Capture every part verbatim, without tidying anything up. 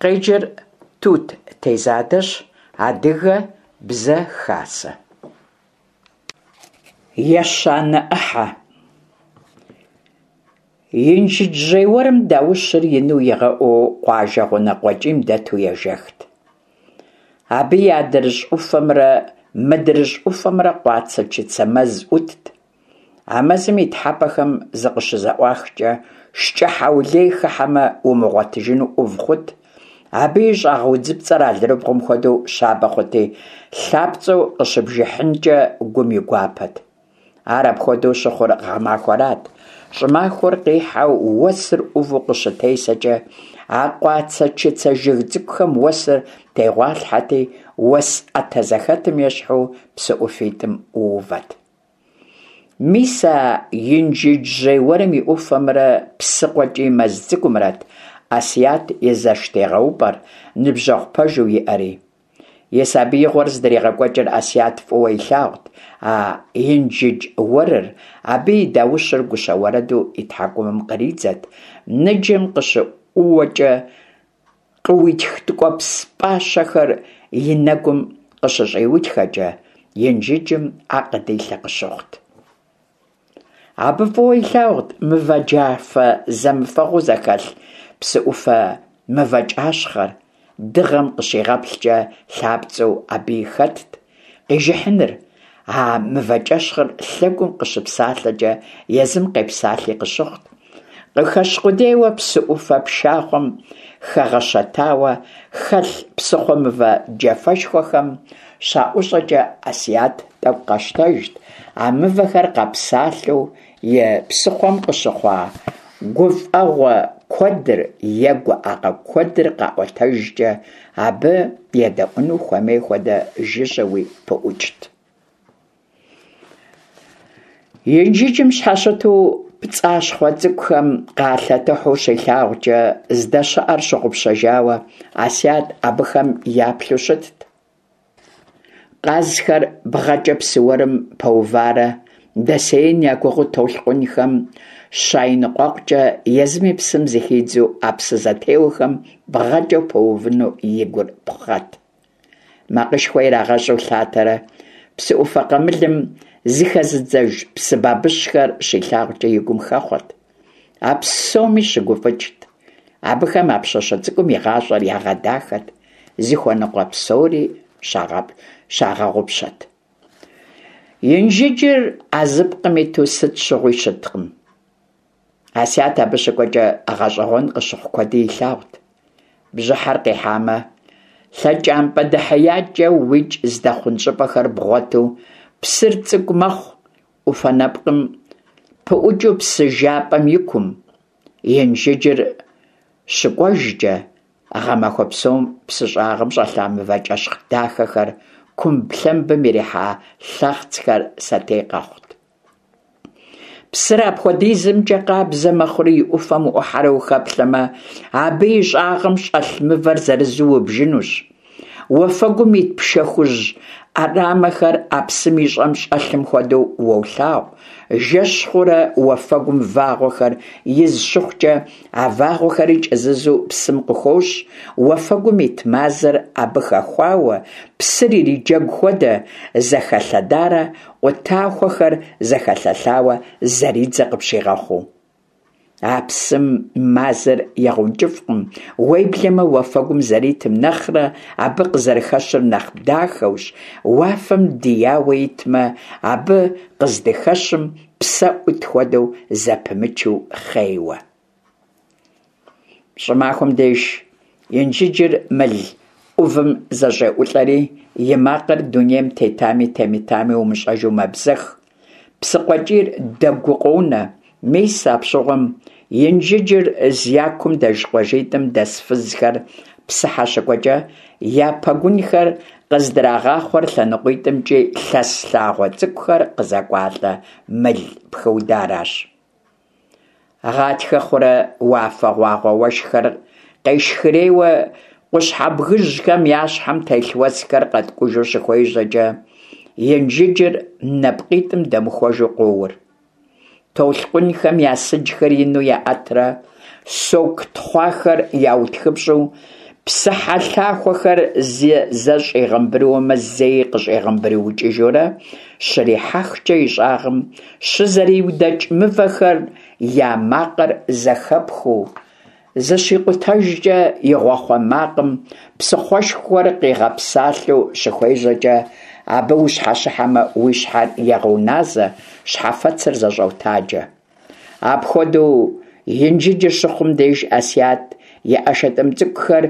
Къеджэр Тут Тезадэщ. Адыгэ Бзэ Хасэ. Ещанэ ӏыхьэ. Инжыджжьей уэрым даущыр ину игъэӏуу къуажэ гъунэ къуэкӏийм дэту ежэхт. Абы и адрыщӏ ӏуфэмрэ мыдрыщӏ ӏуфэмрэ къуацэ-чыцэ мэз ӏутт. А мэзым и тхьэмпэхэм зыкъыщызэӏуахкӏэ, шкӏэ хьэулей хыхьэмэ умыгъуэтыжыну ӏув хъут, абы и щӏагъ удзыпцӏэр алэрыбгъум хуэдэу щабэ хъути, лъапцӏэу къыщыбжыхьынкӏэ гум и гуапэт. Ар апхуэдэу щыхъур гъэмахуэрат. Щӏымахуэр къихьэу уэсыр ӏуву къыщытесэкӏэ, а къуацэ-чыцэ жыг цӏыкӏухэм уэсыр тегъуалъхьэти, уэс ӏэтэ зэхэтым ещхьу псы ӏуфитӏым ӏуувэт. Мис а Инжыджжьей уэрым и ӏуфэмрэ псы къуэкӏий мэз цӏыкӏумрэт Ӏэсият и зэштегъэупӏэр, ныбжьэгъу пэжу иӏэри. И сабиигъуэр здригъэкӏуэкӏыр Ӏэсият фӏыуэ илъагъут а Инжыдж уэрыр, абы и даущыр гущэ уэрэду и тхьэкӏумэм къридзэт, ныджэм къыщыӏууэкӏэ къыуитх ткӏуэпс пӏащэхэр и нэгум къыщыщӏиутхэкӏэ, Инжыджым ӏэ къыдилъэ къыщыхъут. Абы фӏыуэ илъагъут мывэ джафэ зэмыфэгъуу зэхэлъ псы ӏуфэ мывэкӏащхъэр, дыгъэм къыщигъэплъкӏэ лъапцӏэу абыи хэтт, къижыхьыныр, а мывэкӏэщхъыр лъэгум къыщыпсалъэкӏэ езым къепсалъи къыщыхъут. Къыхэщ къудейуэ псы ӏуфэ пшахъуэм хэгъэщэтауэ хэлъ псыхъуэ мывэ джафэшхуэхэм щаӏущӏэкӏэ Ӏэсият тӏэкӏу къэщтэжт, а мывэхэр къэпсалъэу и псыхъуэм къыщыхъуа гуфӏэгъуэ куэдыр е гуӏэгъуэ куэдыр къаӏуэтэжкӏэ абы едэӏуэну хуэмей хуэдэ жыжьэуи пыӏукӏт. Инжыджым щхьэщыту пцӏащхъуэ цӏыкӏухэм къалъэтыхьу щилъагъукӏэ, здэщыӏэр щыгъупщэжауэ, Ӏэсият абыхэм яплъу щытт. Къазхэр бгъэкӏэ псы уэрым пэуварэ дэсеин я гугъэу толъкъунхэм щайныкъуэкъукӏэ, езыми псым зыхидзу а псы зэтеуэхэм бгъэкӏэ пэувыну и гур пхъэт. Макъышхуэ ирагъэщӏу лъатэрэ псы ӏуфэ къамылым зыхэзыдзэж псы бабыщхэр щилъагъукӏэ и гум хэхъуэт. А псоми щыгуфӏыкӏт. Абыхэм а пщащэ цӏыкӏум и гъащӏэр ягъэдахэт, зыхуэныкъуэ псори щагъэгъупщэт. Инжыджыр а зы пкъым иту сыт щыгъуи щыткъым. Ӏэсият абы щыкӏуэкӏэ гъэщӏэгъуэн къыщыхъу куэди илъагъут. Бжьыхьэр къихьамэ, лъэкӏампӏэ дэхьеякӏэ уикӏ здэхъун щӏыпӏэхэр бгъуэту, псыр цӏыкӏу мэхъу, ӏуфэ нэпкъым пыӏукӏыу псы жапӏэм и кум. Инжыджыр щыкӏуэжкӏэ, гъэмахуэ псом псы щӏагъым щӏэлъа мывэкӏэщхъ дахэхэр, кумблъэмбым ирихьа лъэхъцхэр сэтей къэхъут. Псыр апхуэдизымкӏэ къабзэ мэхъури и ӏуфэм уӏухьэрэ ухэплъэмэ, абы и щӏагъым щӏэлъ мывэр зырызу убжынущ. Уафэгум ит пшэ хужь ӏэрамэхэр а псым и щӏэм щӏэлъым хуэдэу уолъагъу. Жэщ хъурэ уафэгум вагъуэхэр из щыхъукӏэ, а вагъуэхэри кӏэзызу псым къыхощ, уафэгум ит мазэр абы хэхуауэ, псыр ириджэгу хуэдэ, зэхэлъэдарэ къутахуэхэр зэхэлъэлъауэ зэридзэ къыпщигъэхъуу. А псым мазэр егъэункӏыфӏкъым, уеблэмэ уафэгум зэритым нэхърэ абы къызэрыхэщыр нэхъ дахэущ, уафэм дияуэ итмэ, абы къыздыхэщым псэ ӏут хуэдэу зэпымычу хъейуэ. Щӏымахуэм деж Инжыджыр мыл ӏувым зэщӏеӏулӏэри, и макъыр дунейм тетами темытами умыщӏэжу мэбзэх. Псы къуэкӏийр дэгуу къонэ. Мис апщыгъуэм Инжыджыр зякум дэж къуажитӏым дэс фызхэр псыхьэ щыкӏуэкӏэ, я пэгунхэр къыздрагъахъуэр лъэныкъуитӏымкӏи лъэс лъагъуэ цӏыкӏухэр къызэкӏуалӏэ мыл пхыударащ. Гъатхэ хъурэ уафэгъуагъуэ уэшххэр къешхырейуэ къущхьэбгыжьхэм я щхьэм телъ уэсхэр къэткӏужу щыхуежьэкӏэ, Инжыджыр нэпкъитӏым дэмыхуэжу къоур. Толъкъунхэм я сыджхэр ину яӏэтрэ соку тхъуахэр яутхыпщӏу, Псыхьэлъахуэхэр зэ щӏигъэмбрыуэмэ, зэи къыщӏигъэмбрыукӏыжурэ щрихьэхкӏэ, и щӏагъым щызэриудэкӏ мывэхэм я макъыр зэхэпхыу, зыщикъутэжкӏэ и гъуахъуэ макъым псыхъуэшхуэр къигъэпсалъэу щыхуежьэкӏэ, абы ущхьэщыхьэмэ, уи щхьэр егъэуназэ, щхьэфэцыр зэщӏотаджэ. Апхуэдэу Инжыджыр щыхъум деж Ӏэсият и ӀэшэтӀым цӀыкӀухэр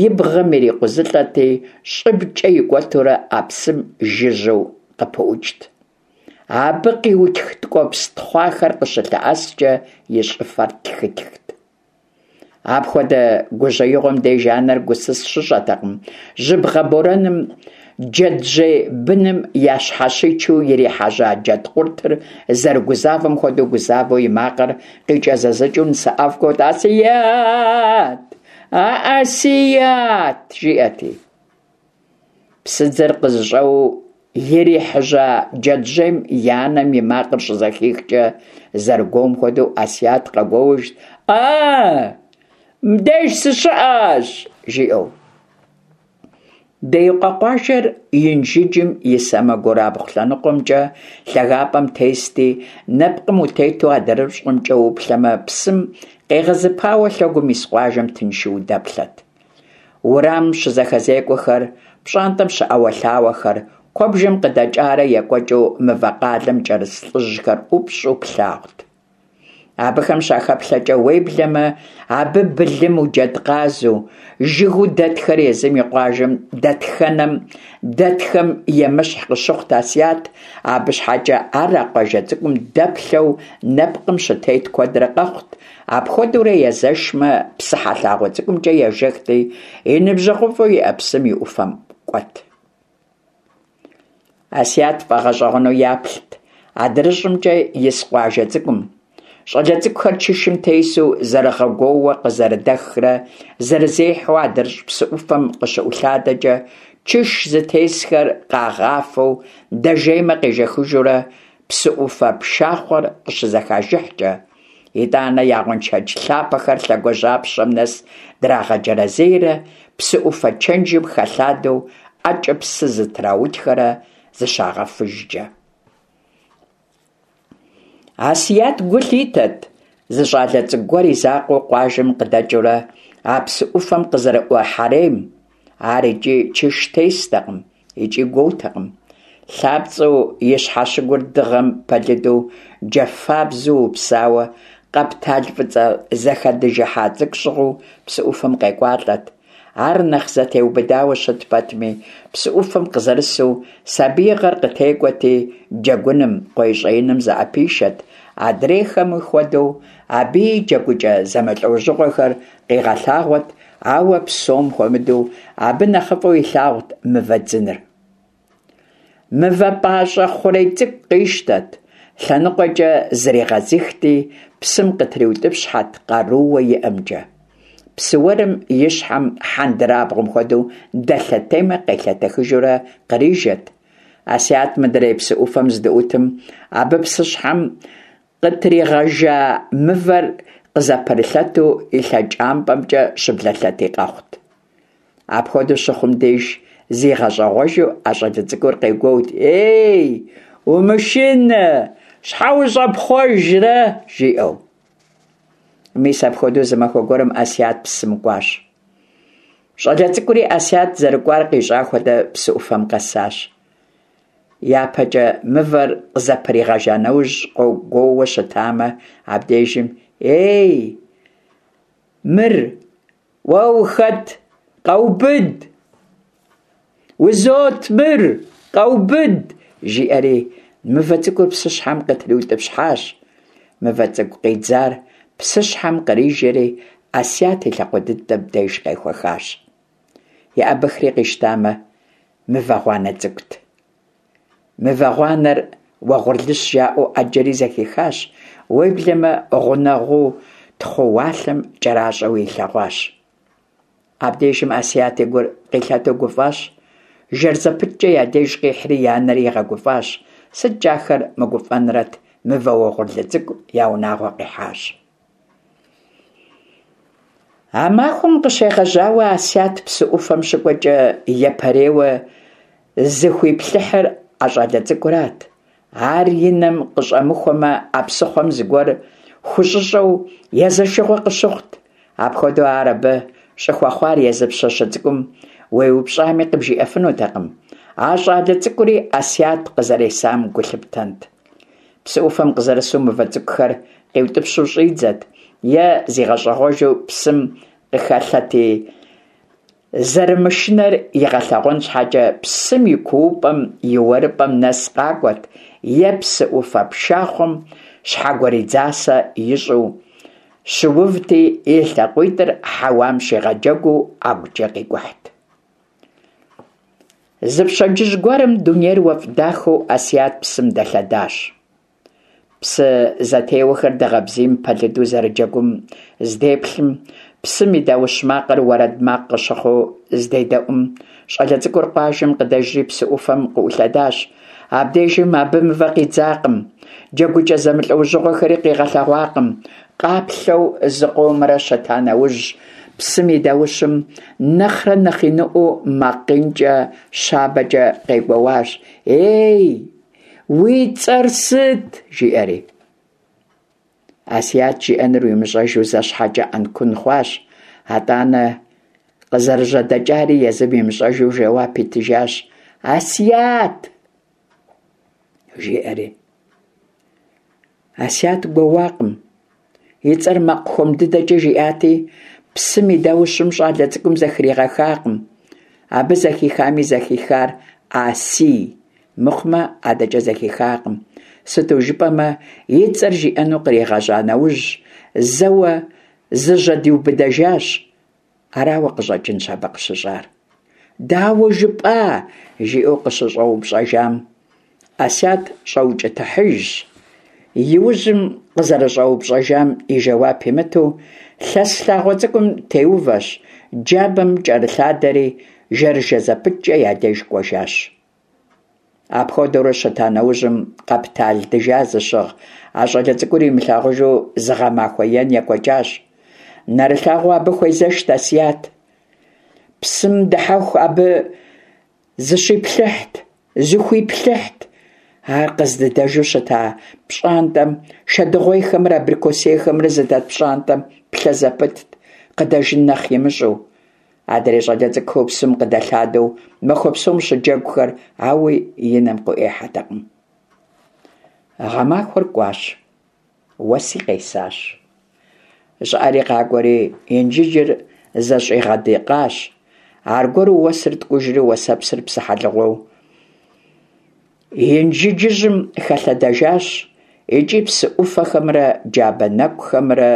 и бгъэм ирикъузылӀэрти, щӀыбкӀэ икӀуэтурэ а псым жыжьэу къыпыӀукӀт. Абы къиутх ткӀуэпс тхъуахэр къыщылъэӀэскӀэ и щӀыфэр тхытхт. Апхуэдэ гужьеигъуэм деж анэр гусыс щыщӀэтэкъым, жьыбгъэ борэным джэджьей быным ящхьэщичу ирихьэжьа джэдкъуртыр зэрыгузавэм хуэдэу гузавэу и макъыр къикӀэзызыкӀыу нысэӀэфӀ гуоут: «Асият! А-Асият!» жиӀэрти. Псыдзэр къызыщӀэуэу ирихьэжьа джэджьейм и анэм и макъыр щызэхихкӀэ, зэрыгуоум хуэдэу Ӏэсият къэгуоужт: «А-а, мыбдеж сыщыӀэщ!» жиӀэу. Деикъуэ къуажэр Инжыджым и сэмэгурабгъу лъэныкъуэмкӀэ лъагапӀэм тести, нэпкъым утету адрыщӀымкӀэ уплъэмэ, псым къегъэзыпауэ лъэгум ис къуажэм тыншу удэплъэт. Уэрамым щызэхэзекӀуэхэр, пщӀантӀэм щыӀэуэлъауэхэр, куэбжэм къыдэкӀарэ екӀуэкӀыу мывэ къалэм кӀэрыс лӀыжьхэр ӀупщӀу плъагъут. Абыхэм щахэплъэкӀэ, уеблэмэ абы былыму, джэдкъазу, жыгыу дэтхэр езым и къуажэм дэтхэнэм дэтхэм емыщхь къыщыхъут Асият, абы щхьэкӀэ ар а къуажэ цӀыкӀум дэплъэу нэпкъым щытет куэдрэ къэхъут, апхуэдэурэ езэшмэ, псыхьэ лъагъуэ цӀыкӀумкӀэ ежэхти, и ныбжьэгъуфӀу иӀэ псым и Ӏуфэм кӀуэт. Асият фӀэгъэщӀэгъуэну яплът адрыщӀымкӀэ ис къуажэ цӀыкӀум. ЩӀалэ цӀыкӀухэр чышым тесу зэрыгъэгуоууэ къызэрыдэхрэ зэрызехьэу адрыщӀ псы Ӏуфэм къыщыӀулъадэкӀэ, чыш зытесхэр къагъафэу, дэжеймэ къежэхыжурэ псы Ӏуфэ пшахъуэр къыщызэхажыхькӀэ, итӀанэ я гъуэншэдж лъапэхэр лъэгуажьапщэм нэс драгъэджэрэзейрэ псы Ӏуфэ чэнжым хэлъадэу ӀэкӀэ псы зытраутхэрэ зыщагъэфыжкӀэ. Асият гу лъитэт зы щӀалэ цӀыкӀу гуэр и закъуэу къуажэм къыдэкӀыурэ а псы Ӏуфэм къызэрыӀухьэрейм. Ар икӀи чыш тестэкъым, икӀи гуоутэкъым. ЛъапцӀэу и щхьэщыгур дыгъэм пэлыду джафэбзэу упсауэ, къэптал фӀыцӀэ зэхэдыжыхьа цӀыкӀу щыгъыу псы Ӏуфэм къекӀуалӀэт. Ар нэхъ зэтеубыдауэ щыт пэтми, псы Ӏуфэм къызэрысу сабиигъэр къытекӀуэти, джэгуным, къуейщӀеиным зыӀэпишэт, адрейхэми хуэдэу, абыи джэгукӀэ зэмылӀэужьыгъуэхэр къигъэлъагъуэт, ауэ псом хуэмыдэу абы нэхъыфӀу илъагъут мывэ дзыныр. Мывэ пӀащӀэ хъурей цӀыкӀу къищтэт, лъэныкъуэкӀэ зригъэзыхти, псым къытриутӀыпщхьэт къарууэ иӀэмкӀэ. Псы уэрым и щхьэм хьэндырабгъуэм хуэдэу дэлъэтеймэ, къелъэтэхыжурэ кърижэт. Асият мыдрей псы Ӏуфэм здыӀутым, абы псыщхьэм къытригъэжа мывэр къызэпырылъэту и лъэкӀампӀэмкӀэ щыблэлъэти къэхъут. Апхуэдэу щыхъум деж зигъэщӀэгъуэжу а щӀалэ цӀыкӀур къегуоут: «Ей, умышынэ, щхьэ ущӀэпхъуэжрэ?» жиӀэу. Мис апхуэдэу зы махуэ гуэрым Асият псым кӀуащ. ЩӀалэ цӀыкӀури Асият зэрыкӀуар къищӀа хуэдэ псы Ӏуфэм къэсащ. ЯпэкӀэ мывэр къызэпригъэжа нэужь къогуоуэ щытамэ, абдежым «Ей, мыр, уэ ухэт, къэубыд! Узот мыр, къэубыд!» жиӀэри мывэ цӀыкӀур псыщхьэм къытриутӀыпщхьащ. Мывэ цӀыкӀу къидзар псыщхьэм кърижэри, Асият и лъакъуэ дыдэм деж къехуэхащ. ЕӀэбыхри къищтамэ, мывэ гъуанэ цӀыкӀут. Мывэ гъуанэр уэгъурлыщ жаӀэу Ӏэджэри зэхихащ, уеблэмэ гъунэгъуу тхъууалъэм кӀэращӀэуи илъэгъуащ. Абдежым Асият и гур къилъэту гуфӀащ. Жэр зэпыткӀэ я деж къихьри и анэри игъэгуфӀащ. СыткӀэ ахэр мыгуфӀэнрэт, мывэ уэгъурлы цӀыкӀу я унагъуэ къихьащ. А махуэм къыщегъэжьауэ Асят псы ӏуфэм щыкӏуэкӏэ япэрейуэ зыхуиплъыхьыр а щӏалэ цӏыкӏурат. Ар и нэм къыщӏэмыхуэмэ, а псыхъуэм зыгуэр хущӏыщӏэу езэшыгъуэ къыщыхъут. Апхуэдэу ар абы щӏыхуэхъуар езы пщащэ цӏыкӏум уеупщӏами къыбжиӏэфынутэкъым. А щӏалэ цӏыкӏури Асят къызэресам гу лъыптэнт. Псы ӏуфэм къызэрысу мывэ цӏыкӏухэр къиутӏыпщу щӏидзэт, е зигъэщӏэгъуэжу псым къыхэлъэти, зэрымышынэр игъэлъэгъуэн щхьэкӏэ псым и куупӏэм и уэрыпӏэм нэс къакӏуэт, е псы ӏуфэ пшахъуэм щхьэгуэридзасэ ищӏу щыувти, и лъакъуитӏыр хьэуам щигъэджэгуу ӏэгукӏэ къикӏухьт. Зы пщэдджыжь гуэрым дунейр уэфӏ дахэу Асят псым дэлъэдащ. Псы зэтеуэхэр дыгъэ бзийм пэлыду зэрыджэгум здеплъым, псым и даущ макъыр уэрэд макъ къыщыхъуу здедэӏум, щӏалэ цӏыкӏур къуажэм къыдэжри псы ӏуфэм къыӏулъэдащ. Абдежым абы мывэ къидзакъым, джэгукӏэ зэмылӏэужьыгъуэхэри къигъэлъэгъуакъым. Къаплъэу зыкъомрэ щыта нэужь, псым и даущым нэхърэ нэхъ иныӏуэу макъ инкӏэ щабэкӏэ къегуэуащ: «Ей, уи цӏэр сыт?» жиӏэри. Асят жиӏэнур имыщӏэжу зэ щхьэкӏэ ӏэнкун хъуащ, атӏанэ къызэрыжьэдэкӏари езым имыщӏэжу жэуап итыжащ: «Асят!» жиӏэри. Асят гуэуакъым. И цӏэр макъ хуэм дыдэкӏэ жиӏати, псым и даущым щӏалэ цӏыкӏум зэхригъэхакъым. Абы зэхихами зэхихар «Асий» мыхъумэ адэкӏэ зэхихакъым. Сыту жыпӏэмэ, и цӏэр жиӏэну къригъэжьа нэужь, зэуэ зыжьэдиубыдэжащ. Арауэ къыщӏэкӏынщ абы къыщыщӏар. «Дауэ жыпӏа?» жиӏэу къыщыщӏэупщӏэжам, Асят щӏэукӏытыхьыжщ. Иужьым къызэрыщӏэупщӏэжам и жэуап имыту, лъэс лъагъуэ цӏыкӏум теувэщ, джабэм кӏэрылъадэри, жэрыжэ зэпыткӏэ я деж кӏуэжащ. Апхуэдэурэ щыта нэужьым, къэптал дыжа зыщыгъ а щӏалэ цӏыкӏур имылъагъужу зы гъэмахуэ ен екӏуэкӏащ. Нэрылъагъуу абы хуезэшт Асят. Псым дыхьэху абы зыщиплъыхьт, зыхуиплъыхьт. Ар къыздыдэжу щыта пщӏантӏэм, шэдыгъуейхэмрэ абрикосейхэмрэ зыдэт пщӏантӏэм плъэ зэпытт, къыдэжын нэхъ имыщӏэу. Адрей щӏалэ цӏыкӏухэу псым къыдэлъадэу махуэ псом щыджэгухэр ауи и нэм къыӏуихьэтэкъым. Гъэмахуэр кӏуащ, уэси къесащ. Щӏыӏэри къакӏуэри Инжыджыр зэщӏигъэдыкъащ. Аргуэру уэсыр ткӏужри уэсэпсыр псыхьэлыгъуэу Инжыджыжьым хэлъэдэжащ икӏи псы ӏуфэхэмрэ джабэ нэкӏухэмрэ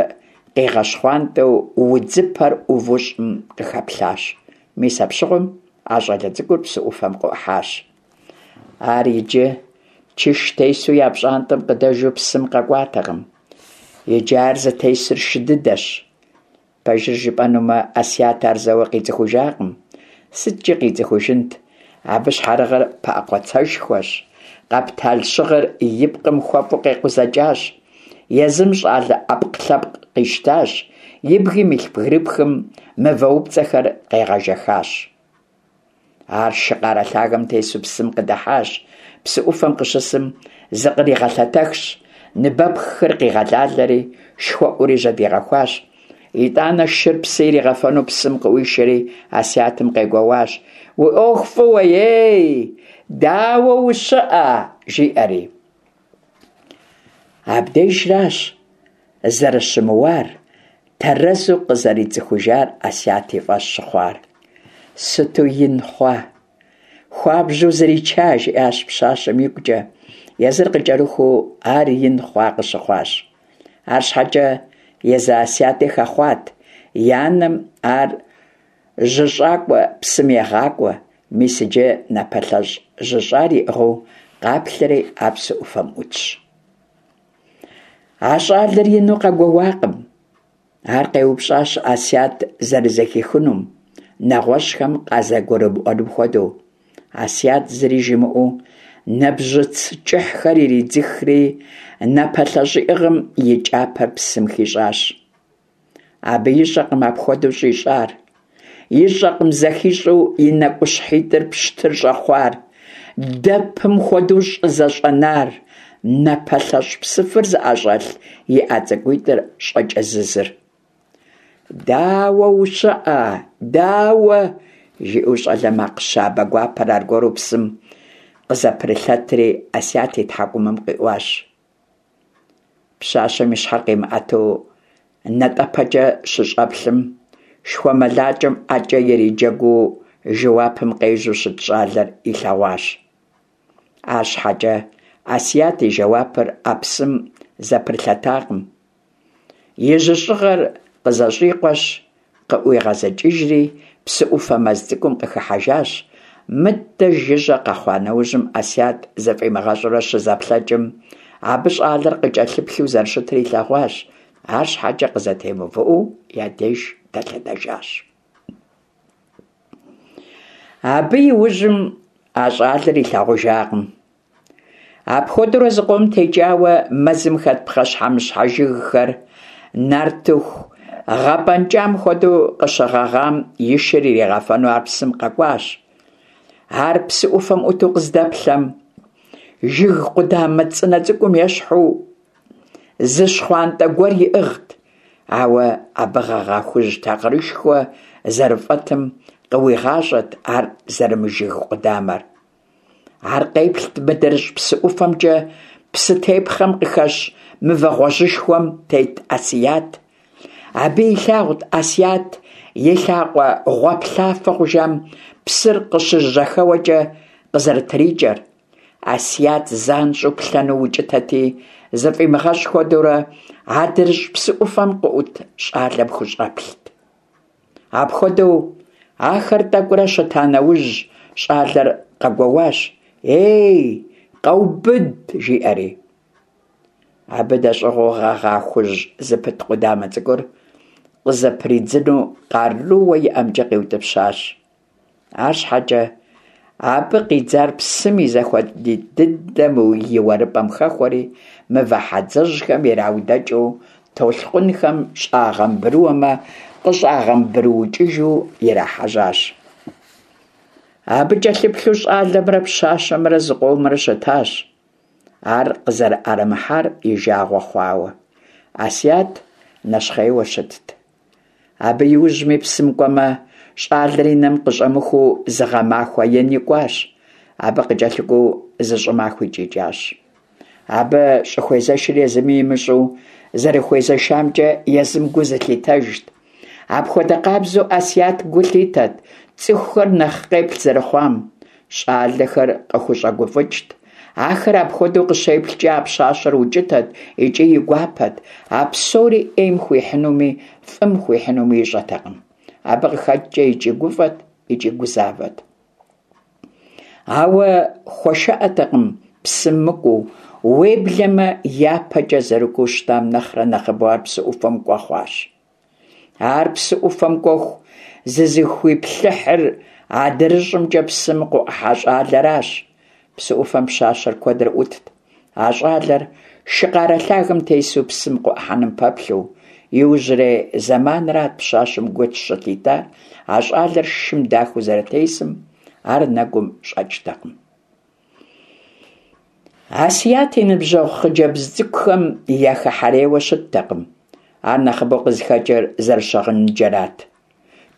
къигъэщхъуантӏэу удзыпэр ӏуву щӏым къыхэплъащ. Мис апщыгъуэм а щӏалэ цӏыкӏур псы ӏуфэм къыӏухьащ. Ар иджы чыш тесу я пщӏантӏэм къыдэжу псым къэкӏуатэкъым. Иджы ар зытесыр шы дыдэщ. Пэжыр жыпӏэнумэ, Асят ар зэуэ къицӏыхужакъым. СыткӀи къицӏыхужынт? Абы щхьэрыгъыр пыӏэ къуацэшхуэщ, къэптал щыгъыр и пкъым хуэфӏу къекъузэкӏащ. Езым щӏалэ ӏэпкълъэпкъ къищтащ, и бгым илъ бгырыпхым мывэупцӏэхэр къегъэжэхащ. Ар шы къарэ лъагэм тесу псым къыдыхьащ. Псы ӏуфэм къыщысым зыкъригъэлъэтэхщ, ныбэпххэр къигъэлалэри, шхуэӏури жьэдигъэхуащ. Итӏанэ шыр псы иригъэфэну псым къыӏуишэри Асятым къегуэуащ: «Уи ӏуэху фӏыуэ, ей! Дауэ ущыӏэ?» жиӏэри. Абдежращ зэрыщымыуар, тэрэзу къызэрицӏыхужар Асят и фӏэщ щыхъуар. «Сыту ин хъуа! Хуабжьу зрича!» жиӏащ пщащэм игукӏэ. Езыр къыкӏэрыхуу ар ин хъуа къыщыхъуащ. Арщхьэкӏэ езы Асяти хэхъуат. И анэм ар жьыщӏакӏуэ псым егъакӏуэ. Мис иджы напэлъэщӏ жьыщӏар иӏыгъыу къаплъэри ар псы ӏуфэм ӏутщ. А щӏалэр ину къэгуэуакъым. Ар къеупщӏащ Асят зэрызэхихынум, нэгъуэщӏхэм къазэрыгурымыӏуэнум хуэдэу. Асят зыри жимыӏэу нэбжьыц кӏыхьхэр иридзыхри, напэлъэщӏ иӏыгъым и кӏапэр псым хищӏащ. Абы ищӀэкъым апхуэдэу щӀищӀар. ИщӀэкъым зэхищӀэу и нэкӀущхьитӀыр пщтыр щӀэхъуар, дэпым хуэдэу щӀызэщӀэнар, напэлъэщӀ псыфыр зыӀэщӀэлъ и Ӏэ цӀыкӀуитӀыр щӀэкӀэзызыр. «Дауэ ущыӀэ? Дауэ?» жиӀэу щӀалэ макъ щабэ гуапэр аргуэру псым къызэпрылъэтри Асят и тхьэкӀумэм къиӀуащ. Пщащэм и щхьэр къимыӀэту натӀэпэкӀэ щыщӀэплъым, шхуэмылакӀэм ӀэкӀэ ириджэгуу жэуапым къежьэу щыт щӀалэр илъэгъуащ. АрщхьэкӀэ Асят и жэуапыр а псым зэпрылъэтакъым. И жьыщӀыгъэр къызэщӀикъуэщ, къыӀуигъэзыкӀыжри, псы Ӏуфэ мэз цӀыкӀум къыхыхьэжащ. Мыдэ жыжьэ къэхъуа нэужьым, Асят зыфӀимыгъэщӀурэ щызэплъэкӀым, абы щӀалэр къыкӀэлъыплъу зэрыщытыр илъэгъуащ, арщхьэкӀэ къызэтемыувыӀэу я деж дэлъэдэжащ. Абы и ужьым а щӀалэр илъагъужакъым. Апхуэдэурэ зыкъом текӀауэ, мэзым хэт пхъэщхьэмыщхьэ жыгхэр нартыху гъэпӀэнкӀам хуэдэу къыщыгъэгъам и шыр иригъэфэну ар псым къэкӀуащ. Ар псы Ӏуфэм Ӏуту къыздэплъэм, жыг къудамэ цӀынэ цӀыкӀум ещхьу зы щхъуантӀэ гуэр иӀыгът, ауэ абы гъэгъа хужь такъырышхуэ зэрыфӀэтым къыуигъащӀэт ар зэрымыжыг къудамэр. Ар къеплът мыдрыщӀ псы ӀуфэмкӀэ псытепхъэм къыхэщ мывэ гъуэжьышхуэм тет Асият. Абы илъагъут Асият и лъакъуэ гъуаплъафэ хъужам псыр къыщыжьэхэуэкӀэ къызэрытрикӀэр. Асият занщӀэу плъэну укӀытэти, зыфӀимыгъэщӀ хуэдэурэ адрыщӀ псы Ӏуфэм къыӀут щӀалэм хущӀэплът. Апхуэдэу ахэр тӀэкӀурэ щыта нэужь, щӀалэр къэгуоуащ: «Ей, къэубыд!» жиӀэри. Абы дэщӀыгъуу гъэгъа хужь зыпыт къудамэ цӀыкӀур къызэпридзыну къарууэ иӀэмкӀэ къиутӀыпщащ. АрщхьэкӀэ абы къидзар псым и зэхуэдитӀ дыдэм и уэрыпӀэм хэхуэри, мывэ хьэдзэжьхэм ираудэкӀыу, толъкъунхэм щӀагъэмбрыуэмэ, къыщӀагъэмбрыукӀыжу ирахьэжьащ. Абы кӀэлъыплъу щӀалэмрэ пщащэмрэ зыкъомрэ щытащ, ар къызэрыӀэрымыхьар и жагъуэ хъуауэ. Асият нэщхъейуэ щытт. Абы иужьми псым кӀуэмэ, щӀалэр и нэм къыщӀэмыхуу зы гъэмахуэ ени кӀуащ, абы къыкӀэлъыкӀуэу зы щӀымахуи икӀащ. Абы щӀыхуезэшыр езыми имыщӀэу, зэрыхуезэшамкӀэ езым гу зылъитэжт. Апхуэдэ къабзэу Асият гу лъитэт цӀыхухэр нэхъ къеплъ зэрыхъуам. ЩӀалэхэр къыхущӀэгуфӀыкӀт. Ахэр апхуэдэу къыщеплъкӀэ а пщащэр укӀытэт икӀи и гуапэт. А псори Ӏейм хуихьынуми фӀым хуихьынуми ищӀэтэкъым. Абы къыхэкӀкӀэ икӀи гуфӀэт, икӀи гузавэт. Ауэ хуэшыӀэтэкъым псым мыкӀуэу, уеблэмэ япэкӀэ зэрыкӀуэу щытам нэхърэ нэхъыбэу ар псы Ӏуфэм кӀуэ хъуащ. Ар псы Ӏуфэм кӀуэху зызыхуиплъыхьыр адрыщӀымкӀэ псым къыӀухьа щӀалэращ. Псы Ӏуфэм пщащэр куэдрэ Ӏутт. А щӀалэр шы къарэ лъагэм тесу псым къыӀухьэным пэплъэу. Иужьрей зэманырат пщащэм гу щылъитар а щӀалэр шым дахэу зэрытесым, ар нэгум щӀэкӀтэкъым. Асият и ныбжьэгъу хъыджэбз цӀыкӀухэм яхыхьэрейуэ щыттэкъым. Ар нэхъыбэу къызыхэкӀыр зэрыщыгъыныджэрат.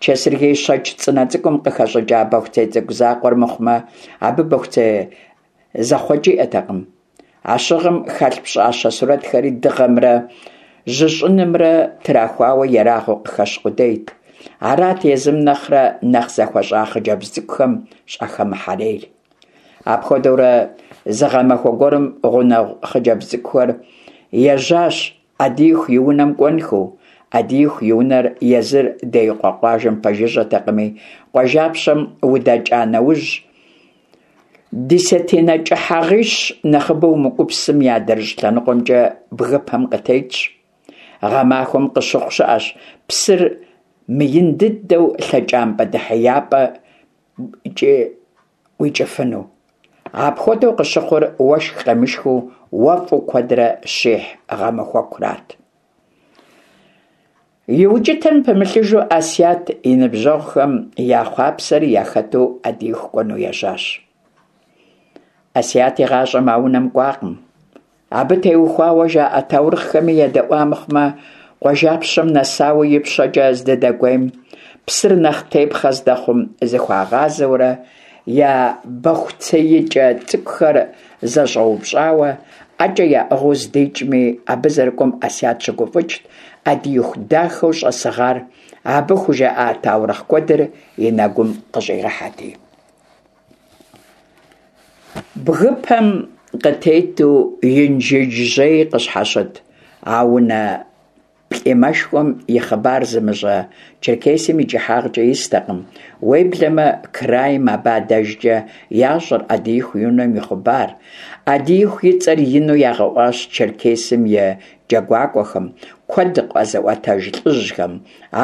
Чэсыргей щэкӀ цӀынэ цӀыкӀум къыхэщӀыкӀа бохуцей цӀыкӀу закъуэр мыхъумэ, абы бохуцей зэхъуэкӀ иӀэтэкъым. А щыгъым хэлъ пщӀащэ сурэтхэри дыгъэмрэ жьыщӀынымрэ трахуауэ ерагъыу къыхэщ къудейт. Арат езым нэхърэ нэхъ зэхуэщӀа хъыджэбз цӀыкӀухэм щӀахэмыхьэрейр. Апхуэдэурэ зы гъэмахуэ гуэрым гъунэгъу хъыджэбз цӀыкӀухэр ежьащ Ӏэдииху и унэм кӀуэнхэу. Ӏэдииху и унэр езыр Деикъуэ къуажэм пэжыжьэтэкъыми, къуажапщэм удэкӀа нэужь, десятинэ кӀыхьагъищ нэхъыбэ умыкӀуу псым и адрыщӀ лъэныкъуэмкӀэ бгыпэм къытетщ. Гъэмахуэм къыщыхъу щыӀэщ псыр мыин дыдэу лъэкӀампӀэ дэхьеяпӀэкӀэ уикӀыфыну. Апхуэдэу къыщыхъур уэшх къемышхыу уэфӀу куэдрэ щихь гъэмахуэкурат. И укӀытэм пымылъыжу Ӏэсият и ныбжьэгъухэм я хъуапсэри яхэту Ӏэдииху кӀуэну ежьащ. Ӏэсият игъащӀэм а унэм кӀуакъым. Абы теухуауэ жаӀэ таурыхъхэми едэӀуа мыхъумэ, къуажапщэм нэсауэ ипщэкӀэ здыдэкӀуейм, псыр нэхъ тепхъэ здэхъум зыхуагъазэурэ я бэхуцеикӀэ цӀыкӀухэр зэщӀэупщӀауэ ӀэкӀэ яӀыгъыу здикӀми, абы зэрыкӀуэм Ӏэсият щыгуфӀыкӀт, Ӏэдииху дахэу щӀэсыгъар, абы хужаӀа таурыхъ куэдыр и нэгум къыщӀигъэхьэрти. Бгыпэм къытету Инжыдж-жьей къыщхьэщыт а унэ плӀимэшхуэм и хъыбар зымыщӀэ Черкесием и кӀыхьагъкӀэ истэкъым, уеблэмэ крайм абы адэжкӀэ ящӀэр Ӏэдииху и унэм и хъыбар. Ӏэдииху и цӀэр ину ягъэӀуащ Черкесым и джэгуакӀуэхэм, куэд къэзыӀуэтэж лӀыжьхэм.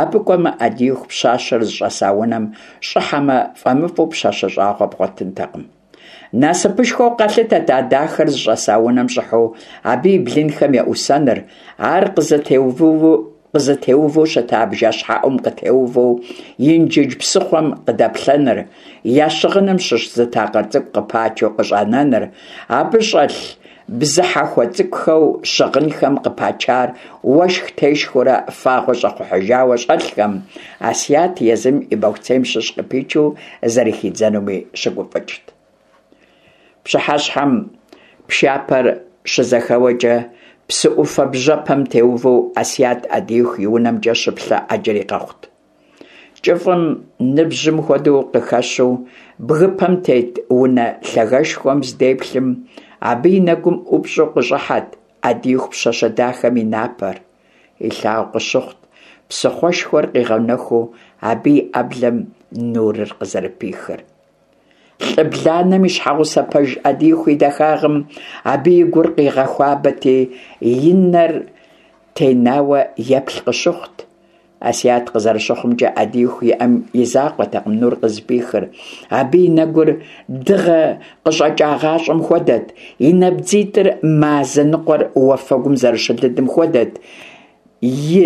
Абы кӀуэмэ, Ӏэдииху пщащэр зыщӀэса унэм щӀыхьэмэ, фӀэмыфӀу пщащэ щӀагъуэ бгъуэтынтэкъым. Насыпышхуэу къалъытэт а дахэр зыщӀэса унэм щӀыхьэу абы и блынхэм еӀусэныр, ар къызытеувэу щыта бжэщхьэӀум къытеувэу Инжыдж псыхъуэм къыдэплъэныр, я щыгъыным щыщ зы такъыр цӀыкӀу къыпачу къыщӀанэныр, абы щӀэлъ бзыхьэхуэ цӀыкӀухэу щыгъынхэм къыпачар уэшх тешхыурэ фагъуэ щӀэхъухьыжауэ щӀэлъхэм Ӏэсият езым и бэхуцейм щыщ къыпичу зэрыхидзэнуми щыгуфӀыкӀт. Пщыхьэщхьэм пшапэр щызэхэуэкӀэ псы Ӏуфэ бжьэпэм теувэу Ӏэсият Ӏэдииху и унэмкӀэ щыплъэ Ӏэджэри къэхъут. КӀыфӀым ныбжьым хуэдэу къыхэщу бгыпэм тет унэ лъагэшхуэм здеплъым, абы и нэгум ӀупщӀу къыщӀыхьэт Ӏэдииху пщащэ дахэм и напэр. Илъагъу къыщыхъут псыхъуэшхуэр къигъэнэхуу абы и Ӏэблэм нурыр къызэрыпихыр. ЛӀы бланэм и щхьэгъусэ пэж Ӏэдииху и дахагъым абы и гур къигъэхуабэти, и нэр тенауэ еплъ къыщыхъут. Ӏэсият къызэрыщыхъумкӀэ, Ӏэдииху и Ӏэм и закъуэтэкъым нур къызыпихыр. Абы и нэгур дыгъэ къыщӀэкӀагъащӀэм хуэдэт, и набдзитӀыр мазэ ныкъуэр уафэгум зэрыщылыдым хуэдэт, и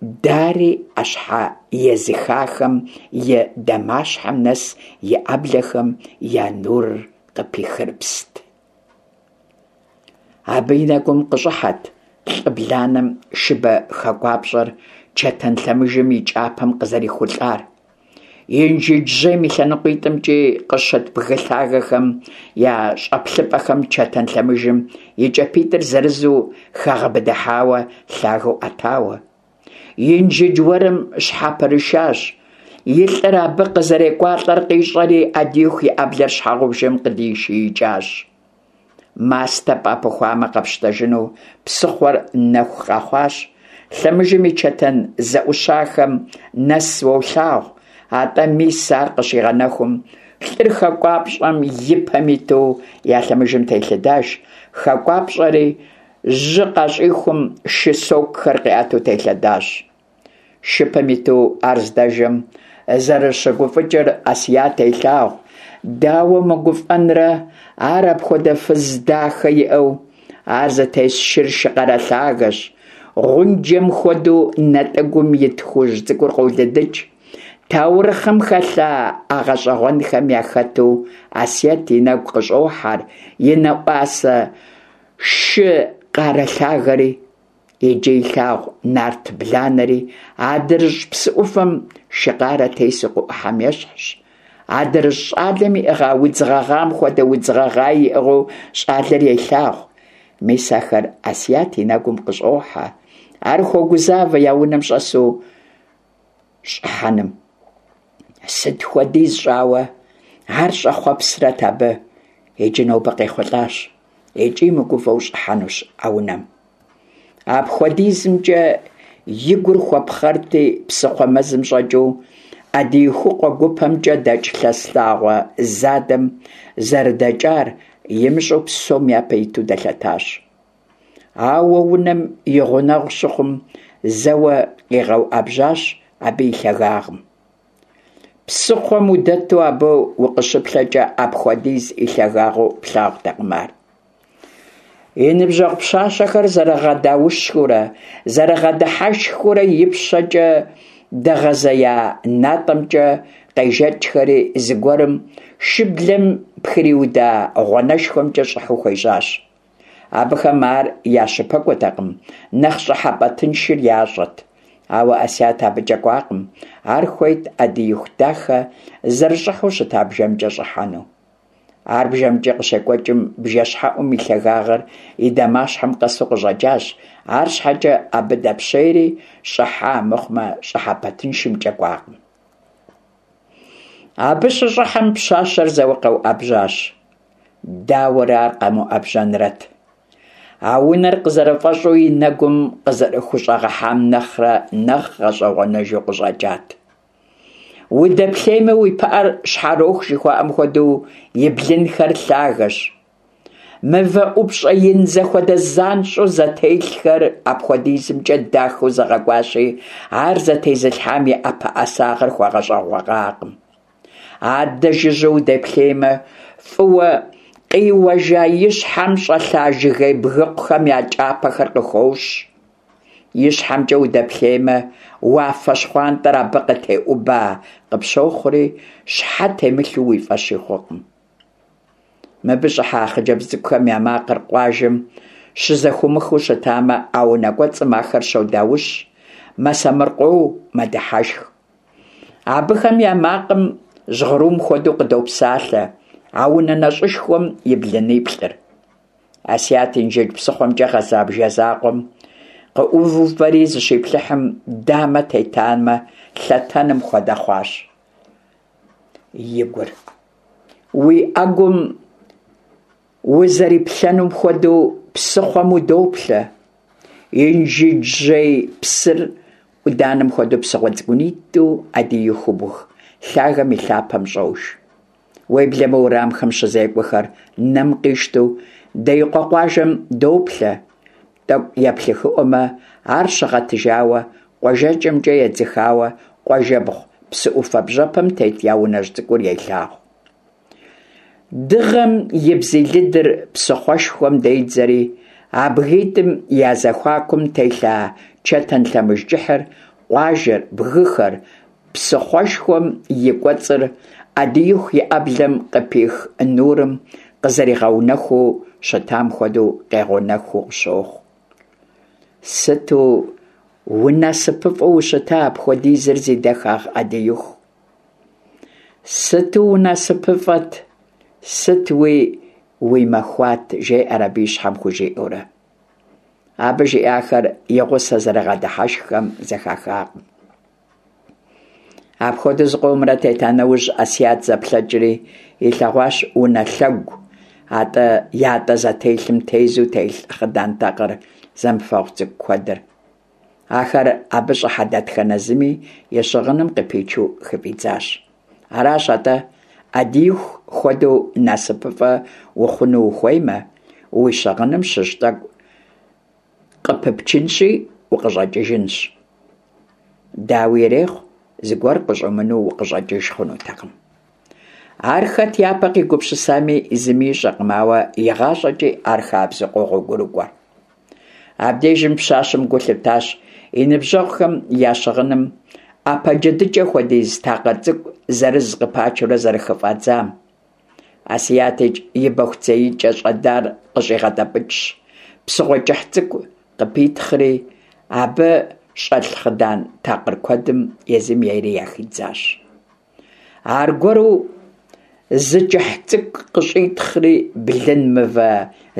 дари Ӏэщхьэ езыхахэм и дамащхьэм нэс и Ӏэблэхэм я нурыр къыпихырыпст. Абы и нэгум къыщӀыхьэт лӀы бланэм шыбэ хэгуапщӀэр чэтэн лъэмыжым и кӀапэм къызэрихулӀар. Инжыдж-жьейм и лъэныкъуитӀымкӀи къыщыт бгы лъагэхэм я щӀэплъыпӀэхэм чэтэн лъэмыжым и кӀапитӀыр зырызу хэгъэбыдыхьауэ лъагэу Ӏэтауэ. Инжыдж уэрым щхьэпрышащ. И лӀыр абы къызэрекӀуалӀэр къищӀэри, Ӏэдииху и Ӏэблэр щхьэгъубжэм къыдишиикӀащ. Мастэ пӀэпыхуамэ къэпщтэжыну псыхъуэр нэху къэхъуащ. Лъэмыжым и чэтэн зэӀущахэм нэс уолъагъу. АтӀэ мис ар къыщигъэнэхум, лӀыр хэкӀуапщӀэм и пэм иту я лъэмыжым телъэдащ. ХэкӀуапщӀэри жьы къащӀихум шы сокухэр къиӀэту телъэдащ. Шыпэм иту ар здэжэм зэрыщыгуфӀыкӀыр Ӏэсият елъагъу. Дауэ мыгуфӀэнрэ ар апхуэдэ фыз дахэ иӀэу? Ар зытес шыр шы къарэ лъагэщ. Гъунджэм хуэдэу натӀэгум ит хужь цӀыкӀур къолыдыкӀ. Таурыхъым хэлъа а гъэщӀэгъуэнхэм яхэту Ӏэсият и нэгу къыщӀохьэр и нэӀуасэ шы къарэ лъагэри, иджы илъагъу нарт бланэри адрыщӀ псы Ӏуфэм шы къарэ тесу къыӀухьэм ещхьщ. АдрыщӀ щӀалэм иӀыгъа удз гъэгъам хуэдэ удз гъэгъаи иӀыгъыу щӀалэр елъагъу. Мис ахэр Ӏэсият и нэгум къыщӀохьэ. Ар хуогузавэ я унэм щӀэсу щӀыхьэным. Сыт хуэдиз щӀауэ ар щӀэхъуэпсрэт абы, иджы нобэ къехъулӀащ икӀи мыгувэу щӀыхьэнущ а унэм. АпхуэдизымкӀэ и гур хуэпхъэрти, псыхъуэ мэзым щӀэкӀыу Ӏэдиихукъуэ гупэмкӀэ дэкӀ лъэс лъагъуэ задэм зэрыдэкӀар имыщӀэу псом япэ иту дэлъэтащ. Ауэ унэм и гъунэгъу щыхъум, зэуэ къигъэуӀэбжьащ абы и лъагагъым. Псыхъуэм удэту абы укъыщыплъэкӀэ апхуэдиз и лъагагъыу плъагъутэкъым ар. И ныбжьэгъу пщащэхэр зэрыгъэдаущхыурэ, зэрыгъэдыхьэшхыурэ ипщэкӀэ дэгъэзея натӀэмкӀэ къежэкӀхэри, зыгуэрым шыблэм пхриуда гъуанэшхуэмкӀэ щӀыхьэу хуежьащ. Абыхэм ар я щыпэкӀуэтэкъым, нэхъ щӀыхьэпӀэ тыншыр ящӀэт. Ауэ Ӏэсият абыкӀэ кӀуакъым, ар хуейт Ӏэдииху дахэ зэрыщӀыхьэу щыта бжэмкӀэ щӀыхьэну. Ар бжэмкӀэ къыщекӀуэкӀым, бжэщхьэӀум и лъагагъыр и дамащхьэм къэсу къыщӀэкӀащ, арщхьэкӀэ абы дэпщейри щӀыхьа мыхъумэ, щӀыхьэпӀэ тыншымкӀэ кӀуакъым. Абы щыщӀыхьэм пщащэр зэуэ къэуӀэбжьащ. Дауэрэ ар къэмыуӀэбжьэнрэт? А унэр къызэрыфӀэщӀу и нэгум къызэрыхущӀэгъэхьам нэхърэ нэхъ гъэщӀэгъуэныжу къыщӀэкӀат. Удэплъеймэ, уи пыӀэр щхьэроху жыхуаӀэм хуэдэу и блынхэр лъагэщ. Мывэ ӀупщӀэ ин зэхуэдэ занщӀэу зэтелъхэр апхуэдизымкӀэ дахэу зэгъэкӀуащи, ар зэтезылъхьам и ӀэпэӀэсагъэр хуэгъэщӀэгъуакъым. Адэ жыжьэу удэплъеймэ, фӀыуэ къиуэжа и щхьэм щӀэлъа жыгей бгыкъухэм я кӀапэхэр къыхощ. ИщхьэмкӀэ удэплъеймэ, уафэ щхъуантӀэр абы къытеӀуба къыпщохъури, щхьэ темылъу уи фӀэщи хъукъым. Мыбы щӀыхьа хъыджэбз цӀыкӀухэм я макъыр къуажэм щызэхыумыхыу щытамэ, а унэ кӀуэцӀым ахэр щодаущ, мэсэмыркъэу, мэдыхьэшх. Абыхэм я макъым жьгъырум хуэдэу къыдопсалъэ а унэ нэщӀышхуэм и блыниплӀыр. Ӏэсият Инжыдж псыхъуэмкӀэ гъэза бжэ закъуэм къыӀуувэри зыщиплъыхьым, дамэ тетамэ, лъэтэным хуэдэ хъуащ и гур. Уи Ӏэгум узэриплъэнум хуэдэу псыхъуэм удоплъэ. Инжыджжьей псыр Ӏуданэм хуэдэу псыгъуэ цӀыкӀунитӀэу Ӏэдиихубг лъагэм и лъапэм щӀож. Уеблэмэ уэрамхэм щызекӀуэхэр нэм къищтэу Деикъуэ къуажэм доплъэ. ТӀэкӀу еплъыхыӀуэмэ, ар щыгъэтыжауэ, къуажэкӀэмкӀэ едзыхауэ къуажэбгъу псы Ӏуфэ бжьэпэм тет я унэжь цӀыкӀур елъагъу. Дыгъэм и бзий лыдыр псыхъуэшхуэм дедзэри, а бгитӀым я зэхуакум телъа чэтэн лъэмыж кӀыхьыр, къуажэр, бгыхэр, псыхъуэшхуэм и кӀуэцӀыр Ӏэдииху и Ӏэблэм къыпих нурым къызэригъэунэхуу щытам хуэдэу къегъэунэхуу къыщохъу. Сыту унасыпыфӀэу ущыта апхуэдизыр зи дахагъ Ӏэдииху! Сыту унасыпыфӀэт, сытуи уи махуат, жеӀэр абы и щхьэм хужиӀэурэ. Абы жиӀахэр и гъусэ зэрыгъэдыхьэшххэм зэхахакъым. Апхуэдэу зыкъомрэ тета нэужь, Ӏэсият зэплъэкӀри илъэгъуащ унэ лъэгу атӀэ ятӀэ зэтелъым тезу телъ хъыдан такъыр зэмыфэгъу цӀыкӀу куэдыр. Ахэр абы щӀыхьэ дэтхэнэ зыми и щыгъыным къыпичу хыфӀидзащ. Аращ атӀэ, Ӏэдииху хуэдэу насыпыфӀэ ухъуну ухуеймэ, уи щыгъыным щыщ тӀэкӀу къыпыпчынщи укъыщӀэкӀыжынщ. Дауи ирехъу, зыгуэр къыщӀумыну укъыщӀэкӀыж хъунутэкъым. Ар хэт япэ къигупсысами зыми ищӀэкъым, ауэ игъащӀэкӀи ар хабзэу къогъуэгурыкӀуэ. Абдежым пщащэм гу лъитащ и ныбжьэгъухэм я щыгъыным Ӏэпэ джэдыкӀэ хуэдиз такъыр цӀыкӀу зырыз къыпачурэ зэрыхыфӀадзам. Ӏэсият и бэхуцеикӀэ щӀэдар къыщӀигъэтӀэпӀыкӀщ, псыгъуэ кӀыхь цӀыкӀу къыпитхъри, абы щӀэлъ хъыдан такъыр куэдым езым ейри яхидзащ. Аргуэру зы кӀыхь цӀыкӀу къыщӀитхъри, блын мывэ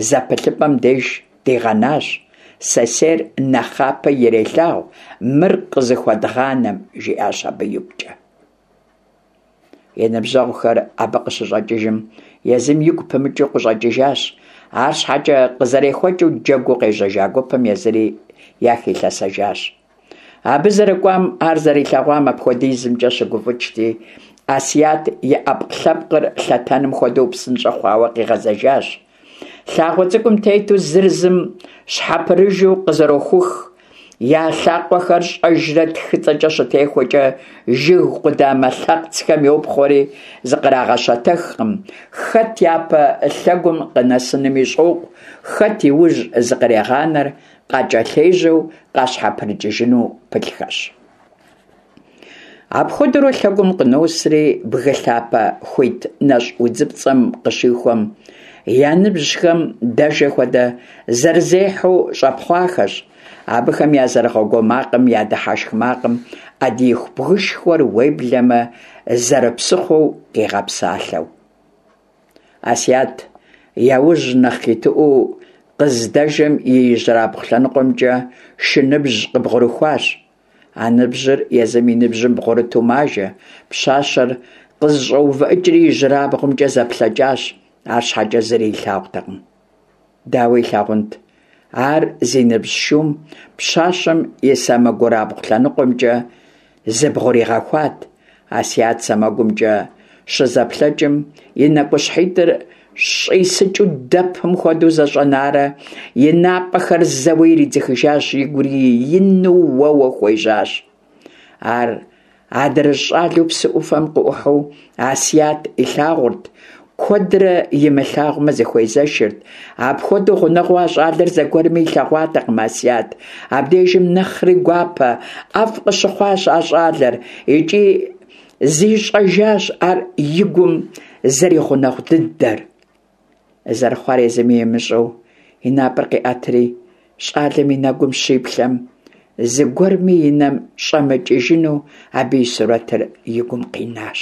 зэпылъыпӀэм деж дигъэнащ. Сэсейр нэхъапэ ирелъагъу, мыр къызыхуэдгъанэм, жиӀащ абы игукӀэ. И ныбжьэгъухэр абы къыщыщӀэкӀыжым, езым игу пымыкӀыу къыщӀэкӀыжащ. АрщхьэкӀэ къызэрехуэкӀыу джэгуу къежьэжа гупым езыри яхилъэсэжащ. Абы зэрыкӀуам, ар зэрилъэгъуам апхуэдизымкӀэ щыгуфӀыкӀти, Ӏэсият и Ӏэпкълъэпкъыр лъэтэным хуэдэу псынщӀэ хъуауэ къигъэзэжащ. Лъагъуэ цӀыкӀум тету зыр зым щхьэпрыжу къызэрохух, я лъакъуэхэр щӀэжрэ тхыцӀэкӀэ щытехуэкӀэ жыг къудамэ лъэхъцхэм йопхъуэри зыкърагъэщэтэхкъым, хэт япэ лъэгум къынэсынми щӀокъу, хэт и ужь зыкърегъанэр, къакӀэлъежьэу къащхьэпрыкӀыжыну пылъхэщ. Апхуэдэурэ лъэгум къыносри, бгы лъапэ хуит нэщӀ удзыпцӀэм къыщихуэм, я ныбжьхэм дэжэ хуэдэ, зэрызехьэу щӀэпхъуахэщ. Абыхэм я зэрыгъэгуо макъым, я дыхьэшх макъым Ӏэдииху бгышхуэр, уеблэмэ зэрыпсыхъуэу къигъэпсалъэу. Ӏэсият я ужь нэхъ итыӀуэу къыздэжэм и ижьырабгъу лъэныкъуэмкӀэ шы ныбжь къыбгъурыхуащ. А ныбжьыр езым и ныбжьым бгъурыту мажэ. Пщащэр къызэщӀэувыӀыкӀри ижьырабгъумкӀэ зэплъэкӀащ, арщхьэкӀэ зыри илъагъутэкъым. Дауэ илъагъунт? Ар зи ныбжь шум пщащэм и сэмэгурабгъу лъэныкъуэмкӀэ зыбгъуригъэхуат. Ӏэсият сэмэгумкӀэ щызэплъэкӀым, и нэкӀущхьитӀыр щӀисыкӀыу дэпым хуэдэу зэщӀэнарэ, и напӀэхэр зэуэ иридзыхыжащ, игури ину уэуэ хуежьащ. Ар адрыщӀ щӀалэу псы Ӏуфэм къыӀухьэу Ӏэсият илъагъурт, куэдрэ имылъагъумэ зыхуезэшырт. Апхуэдэу гъунэгъуу а щӀалэр зэгуэрми илъэгъуатэкъым Ӏэсият. Абдежым нэхъри гуапэ, ӀэфӀ къыщыхъуащ а щӀалэр икӀи зищӀэжащ ар и гум зэригъунэгъу дыдэр. Зэрыхъуар езыми имыщӀэу и напӀэр къиӀэтри, щӀалэм и нэгум щиплъэм, зыгуэрми и нэм щӀэмыкӀыжыну абы и сурэтыр и гум къинащ.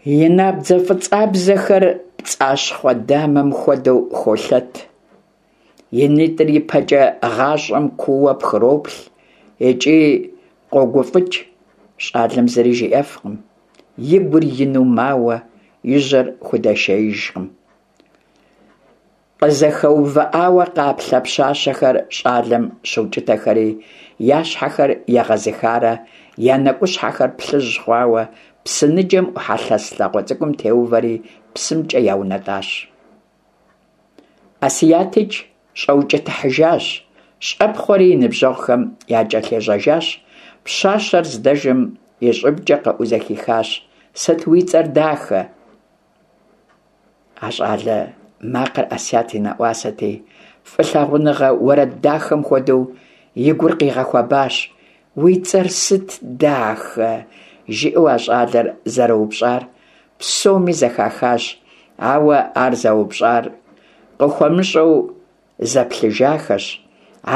И набдзэ фӀыцӀабзэхэр пцӀащхъуэ дамэм хуэдэу холъэт. И нитӀыр ипэкӀэ гъащӀэм куууэ пхроплъ икӀи къогуфӀыкӀ. ЩӀалэм зыри жиӀэфкъым, и гур ину мауэ, и жьэр худэшеижкъым. КъызэхэувыӀауэ къаплъэ пщащэхэр щӀалэм щыукӀытэхэри, я щхьэхэр егъэзыхарэ я нэкӀущхьэхэр плъыжь хъуауэ, псы ныджэм Ӏухьэ лъэс лъагъуэ цӀыкӀум теувэри псымкӀэ яунэтӀащ. ӀэсиятикӀ щӀэукӀытыхьыжащ, щӀэпхъуэри и ныбжьэгъухэм якӀэлъежьэжащ. Пщащэр здэжэм и щӀыбкӀэ къэӀуу зэхихащ: «Сыт уи цӀэр, дахэ?» А щӀалэ макъыр Ӏэсият и нэӀуасэти, фӀылъагъуныгъэ уэрэд дахэм хуэдэу и гур къигъэхуэбащ. «Уи цӀэр сыт, дахэ?» жиӀэу а щӀалэр зэроупщӀар псоми зэхахащ, ауэ ар зэупщӀар къыхуэмыщӀэу зэплъыжахэщ.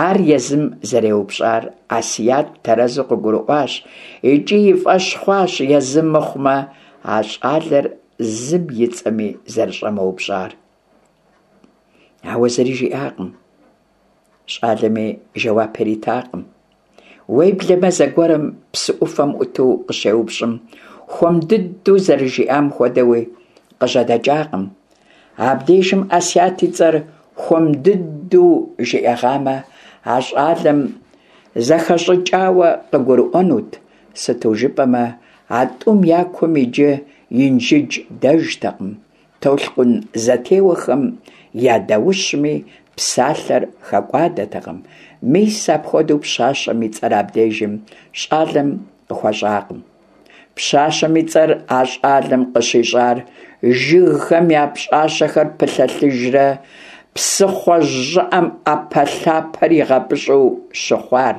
Ар езым зэреупщӀар Ӏэсият тэрэзу къыгурыӀуащ икӀи и фӀэщ хъуащ езым мыхъумэ а щӀалэр зым и цӀэми зэрыщӀэмыупщӀар. Ауэ зыри жиӀакъым. ЩӀалэми жэуап иритакъым. Уеблэмэ зэгуэрым псы Ӏуфэм Ӏуту къыщеупщӀым, хуэм дыдэу зэрыжиӀам хуэдэуи къыжьэдэкӀакъым. Абдежым Ӏэсият и цӀэр хуэм дыдэу жиӀэгъамэ, а щӀалэм зэхэщӀыкӀауэ къыгурыӀуэнут, сыту жыпӀэмэ а тӀум я кум иджы Инжыдж дэжтэкъым, толъкъун зэтеуэхэм я даущми псалъэр хэкӀуадэтэкъым. Мис апхуэдэу пщащэм и цӀэр абдежым щӀалэм къыхуэщӀакъым. Пщащэм и цӀэр а щӀалэм къыщищӀар жыгхэм я пщӀащэхэр пылъэлъыжрэ псыхъуэжь щӀыӀэм Ӏэпэлъапэр игъэпӀыщӀу щыхъуар,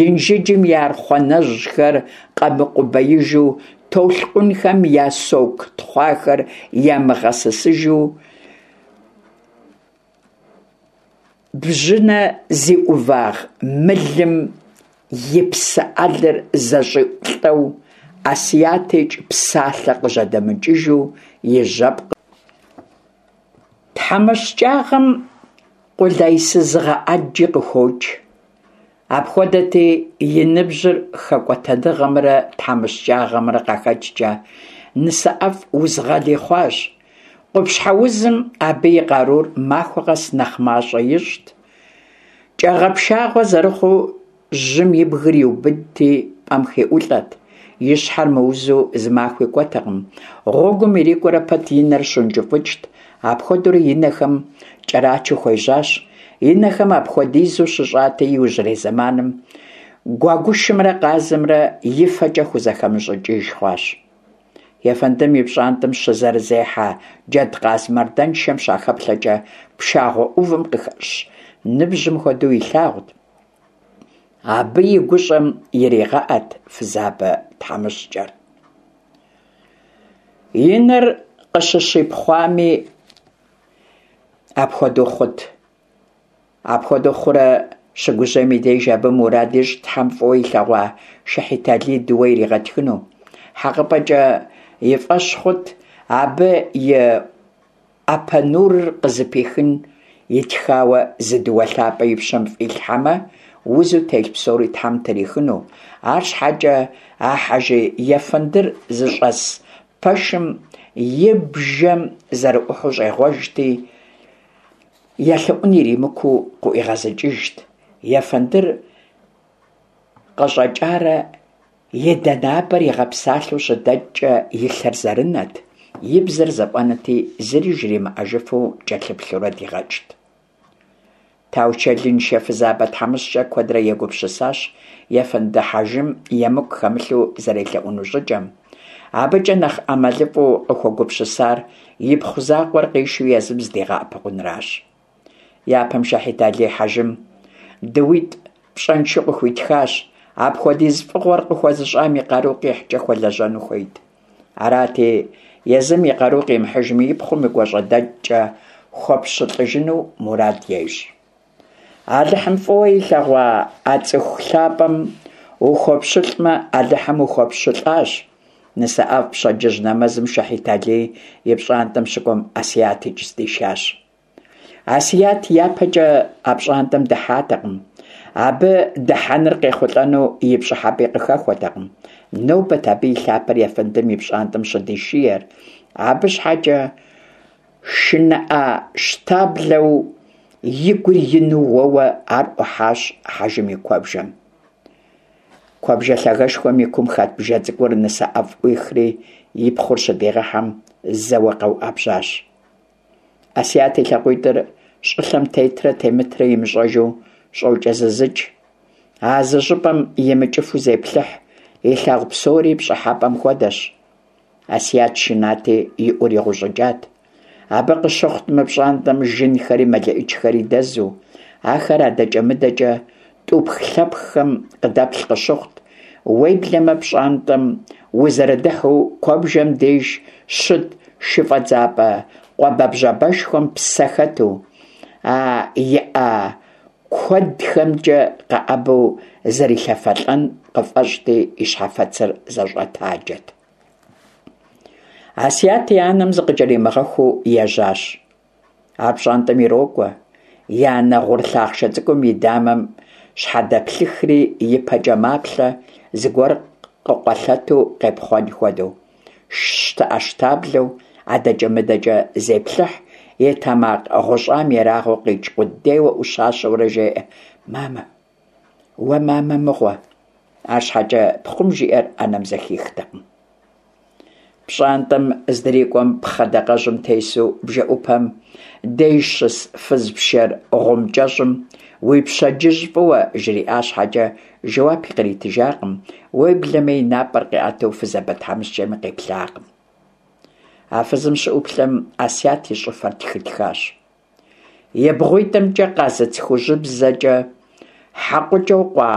Инжыджым и архъуанэжьхэр къэмыкъубеижу, толъкъунхэм я соку тхъуахэр ямыгъэсысыжу, бжьынэ зи Ӏувагъ мылым и псы Ӏэлыр зэщӀиӀулӀэу, ӀэсиятикӀ псалъэ къыжьэдэмыкӀыжу и жьэпкъыр. ТхьэмыщкӀагъэм къулейсызыгъэ Ӏэджи къыхокӀ. Апхуэдэти, и ныбжьыр хэкӀуэтэныгъэмрэ тхьэмыщкӀагъэмрэ къахэкӀкӀэ нысэӀэфӀ узгъэли хъуащ. Къупщхьэ узым абы и къарур махуэ къэс нэхъ мащӀэ ищӀт. КӀэгъэпшагъуэ зэрыхъуу жьым и бгыр иубыдти пӀэм хиӀулӀэт. И щхьэр мыузу зы махуи кӀуэтэкъым. Гъуэгум ирикӀуэрэ пэт и нэр щункӀыфӀыкӀт. Апхуэдэурэ и нэхэм кӀэрачу хуежьащ. И нэхэм апхуэдизу щыщӀати, иужьрей зэманым гуэгушымрэ къазымрэ и фэкӀэ хузэхэмыщӀыкӀыж хъуащ. Ефэндым и пщӏантӏэм щызэрызехьэ джэдкъаз мардэншэм щахэплъэкӏэ, пшагъуэ ӏувым къыхэщ ныбжьым хуэдэу илъагъут, абы и гущӏэм иригъэӏэт фызабэ тхьэмыщкӏэр. И нэр къыщыщипхъуами апхуэдэу хъут. Апхуэдэу хъурэ щыгужьейм и деж абы мурад ищӏт Тхьэм фӏыуэ илъэгъуа Шэхьиталий дыуэ иригъэтхыну. ХьэкъыпӀэкӀэ и фӀэщ хъут абы и ӏэпэ нурыр къызыпихын итхауэ зы дыуэ лъапӀэ и пщэм фӀилъхьэмэ, узу телъ псори Тхьэм трихыну. АрщхьэкӀэ а хьэжы ефэндыр зыщӀэс пэшым и бжэм зэрыӀухьэу щӀегъуэжти, елъэӀун иримыкуу къыӀуигъэзыкӀыжт. Ефэндыр къыщӀэкӀарэ и данапӀэр игъэпсалъэу щыдэкӀкӀэ и лъэр зэрынэт, и бзэр зэфӀэнэти, зыри жримыӀэжыфу кӀэлъыплъурэ дигъэкӀт. Таучэлыншэ фызабэ тхьэмыщкӀэр куэдрэ егупсысащ ефэнды хьэжым емыкӀу хэмылъу зэрелъэӀуну щӀыкӀэм. АбыкӀэ нэхъ ӀэмалыфӀу къыхуэгупсысар ипхъу закъуэр къишэу езым зыдигъэӀэпыкъунращ. Япэм Шэхьиталий хьэжым дыуитӀ пщӀэншэу къыхуитхащ, апхуэдиз фӀыгъуэр къыхуэзыщӀам и къару къихькӀэ хуэлэжьэну хуейт. Арати, езым и къару къимыхьыжми, и пхъум и гуащӀэдэкӀкӀэ хуэпщылӀыжыну мурад ещӀ. Алыхьым фӀыуэ илъэгъуа а цӀыху лъапӀэм ухуэпщылӀмэ, Алыхьым ухуэпщылӀащ. НысэӀэфӀ пщэдджыжь нэмэзым Шэхьиталий и пщӀантӀэм щыкӀуэм АсиятикӀ здишащ. Асият япэкӀэ а пщӀантӀэм дыхьатэкъым. Абы дыхьэныр къехъулӀэну и пщӀыхьэпӀи къыхэхуэтэкъым. Нобэт абы и лъапэр ефэндым и пщӀантӀэм щыдишиер. Абы щхьэкӀэ шынэӀэщтаблэу и гур ину уэуэ ар Ӏухьащ хьэжым и куэбжэм. Куэбжэ лъагэшхуэм и кум хэт бжэ цӀыкӀур НысэӀэфӀ Ӏуихри и пхъур щыдигъэхьэм зэуэ къэуӀэбжьащ. Асият и лъакъуитӀыр щӀылъэм тетрэ темытрэ имыщӀэжу щӀокӀэзызыкӀ. А зы щӀыпӀэм имыкӀыфу зеплъыхь, илъагъу псори пщӀыхьэпӀэм хуэдэщ. Асият шынати и Ӏур игъущӀыкӀат. Абы къыщыхъут мы пщӀантӀэм жынхэри мэлэӀичхэри дэзу, ахэр адэкӀэ-мыдэкӀэ тӀупх-лъэпххэм къыдэплъ къыщыхъут. Уеблэмэ пщӀантӀэм узэрыдыхьэу куэбжэм деж щыт шыфӀэдзапӀэ къуабэбжьабэшхуэм псэ хэту, а и Ӏэ куэдхэмкӀэ къэӀэбэу зэрилъэфэлӀэн къыфӀэщӀти, и щхьэфэцыр зэщӀэтаджэт. Асият и анэм зыкъыкӀэримыгъэхуу ежьащ. Ар пщӀантӀэм ирокӀуэ, и анэ гъур лъахъшэ цӀыкӀум и дамэм щхьэдэплъыхри и пэкӀэ маплъэ, зыгуэр къыкъуэлъэту къепхъуэн хуэдэу. ЩтэӀэщтаблэу адэкӀэ-мыдэкӀэ зеплъыхь, и тэмакъ гъущӀам ерагъыу къикӀ къудейуэ Ӏущащэурэ жеӀэ: «Мамэ, уэ мамэ мыгъуэ!» АрщхьэкӀэ пхъум жиӀэр анэм зэхихтэкъым. ПщӀантӀэм здрикӀуэм пхъэ дакъэжьым тесу бжэӀупэм деж щыс фыз пшэр гъум кӀэщӀым «Уи пщэдджыжь фӀыуэ!» жриӀа щхьэкӀэ, жэуапи къритыжакъым, уеблэмэ и напӀэр къиӀэту фызабэ тхьэмыщкӀэми къеплъакъым. А фызым щыӀуплъэм Асият и щӀыфэр тхытхащ. И бгъуитӀымкӀэ къазыц хужьыбзэкӀэ хьэкъукӀэу къуа